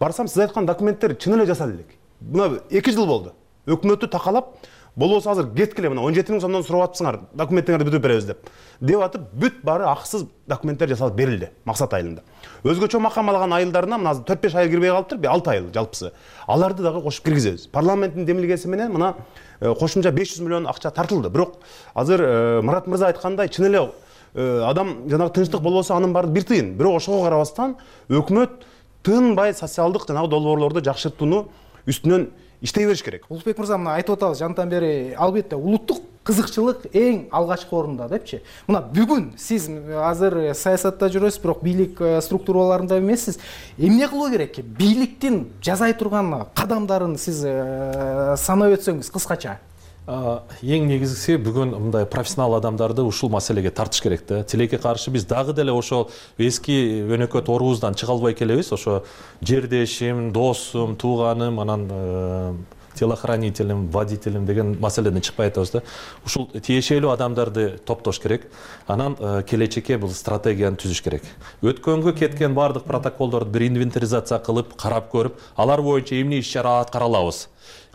Барсам, сиз айткан документтер чын эле жасалып элек. Мына 2 жыл болду. Өкмөттү такалап, болбосо азыр кеткиле, мына 17 000 сомдон сурап атпсыңар, документтерди бүтүп беребиз деп атып, бүт баары акысыз документтер жасалып берилди Максат айылында. Өзгөчө макам алган айылдарына мына 4-5 айыл кирбей калыптыр, 6 айыл жалпысы. Аларды дагы кошуп киргизебиз. Парламенттин демилгеси менен мына кошумча 500 миллион акча тартылды. Бирок азыр Мурат мырза айткандай, чын эле адам жанагы тынчтык болбосо анын баары бир тыйын. Бирок ошого карабастан өкмөт тынбай социалдык жанагы долбоорлорду жакшыртууну үстүнөн иштей бериш керек. Улукбек мырза, мына айтып атабыз жантан бери, албетте улуттук кызыкчылык эң алгачкы орунда депчи. Мына бүгүн сиз азыр саясатта жүрөсүз, бирок бийлик структураларында эмессиз. Эмне кылуу керек? Бийликтин жасай турган кадамдарын сиз санап өтсөңүз кыскача. Эң негизгиси бүгүн мындай профессионал адамдарды ушул маселеге тартыш керек да. Тилекке каршы биз дагы деле ошол эски өнөкөт орубуздан чыга албай келебиз. Ошо жердешим, досум, тууганым, анан телохранителим, водителим деген маселеден чыкпай атабыз да. Ушул тиешелүү адамдарды топтош керек. Анан келечекке бул стратегияны түзүш керек. Өткөнгө кеткен бардык протоколдорду бир инвентаризация кылып, карап көрүп, алар боюнча эмне иш-чара аткара алабыз.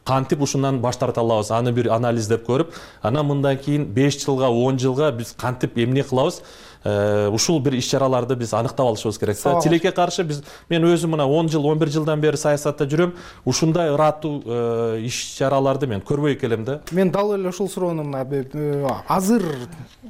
Кантип ушундан баш тарта алабыз, аны бир анализдеп көрүп, анан мындан кийин 5 жылга, 10 жылга биз кантип эмне кылабыз, ушул бир иш-чараларды биз аныктап алышыбыз керек. Тилекке каршы мен өзүм мына 10 жыл, 11 жылдан бери саясатта жүрөм. Ушундай ыраттуу иш-чараларды мен көрбөй келем да. Мен дал эле ушул суроону азыр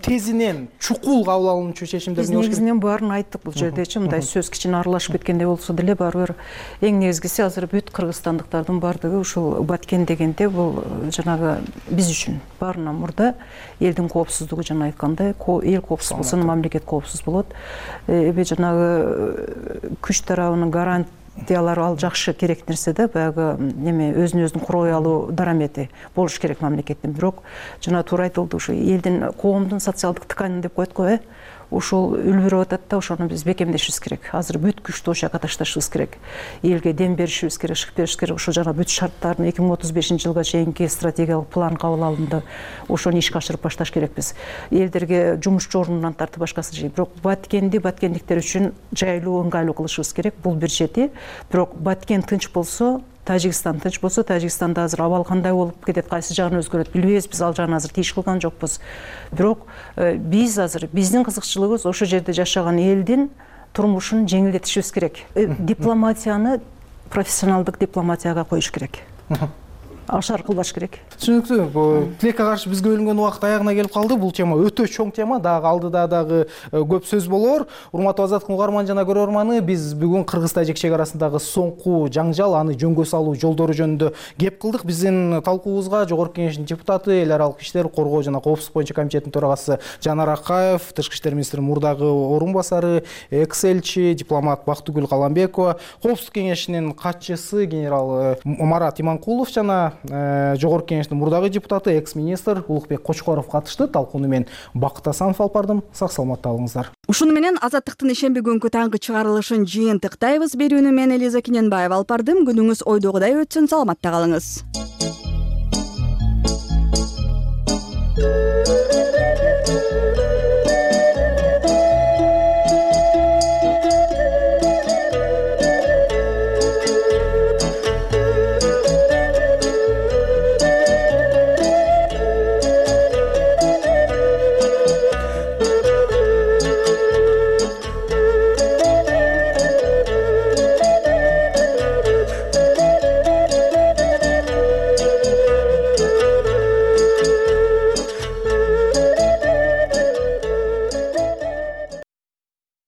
тезинен чукул кабыл алынчу чечимдер эмне болуш керек? Биз негизинен баарын айттык бул жердечи, мындай сөз кичине аралашып кеткендей болсо деле баары бир эң негизгиси азыр бүт кыргызстандыктардын баардыгы ушул Баткен дегенде бул жанагы биз үчүн баарынан мурда элдин коопсуздугу, жана айткандай, эл коопсуз болсо мамлекет коопсуз болот. Эми жанагы күч тарабынын гарантиялары ал жакшы керек нерсе да, баягы неме өзүн өзүн курой алуу дарамети болуш керек мамлекеттин. Бирок жана туура айтылды, ушу элдин, коомдун социалдык тканин деп коет го, ошол үлбүрүп атат да, ошону биз бекемдешибиз керек. Азыр бүт күчтү ошол жака ташташыбыз керек. Элге дем беришибиз керек, шык беришибиз керек. Ошо жана бүт шарттарын 2035-жылга чейинки стратегиялык план кабыл алынды. Ошону ишке ашырып башташ керекпиз. Элдерге жумушчу ордунан тартып башкасы жей. Бирок баткендиктер үчүн жайлуу, ыңгайлуу кылышыбыз керек. Бул бир чети. Бирок Баткен тынч болсо, Тажикстан тынч болсо, Тажикстанда азыр абал кандай болуп кетет, кайсы жагын өзгөрөт билбейбиз. Биз ал жагын азыр тийиш кылган жокпуз. Бирок биз азыр биздин кызыкчылыгыбыз ошо жерде жашаган элдин турмушун жеңилдетишибиз керек. Дипломатияны профессионалдык дипломатияга коюш керек. Ашар кылбаш керек. Түшүнүктүү. Тилекке каршы бизге бөлүнгөн убакыт аягына келип калды. Бул тема өтө чоң тема. Дагы алдыда дагы көп сөз болор. Урматтуу Азаттык угарман жана көрөрманы, биз бүгүн Кыргыз-Тажик чек арасындагы соңку жаңжал, аны жөнгө салуу жолдору жөнүндө кеп кылдык. Биздин талкуубузга Жогорку Кеңештин депутаты, эл аралык иштер коргоо жана коопсуздук боюнча комитеттин төрагасы Жанар Акаев, Тышкы иштер министринин мурдагы орун басары, экс-элчи, дипломат Бактыгүл Каламбекова, коопсуздук кеңешинин катчысы генерал Марат Иманкулов жана Жогорку Кеңештин мурдагы депутаты, экс-министр Улукбек Кочкоров катышты. Талкууну мен Бакыт Асанов алып бардым. Сак саламатта болуңуздар. Ушуну менен Азаттыктын ишемби күнгү таңкы чыгарылышын жыйынтыктайбыз. Берүүнү мен Элиза Киненбаева алып бардым. Күнүңүз ойдогудай өтсүн, саламатта калыңыз.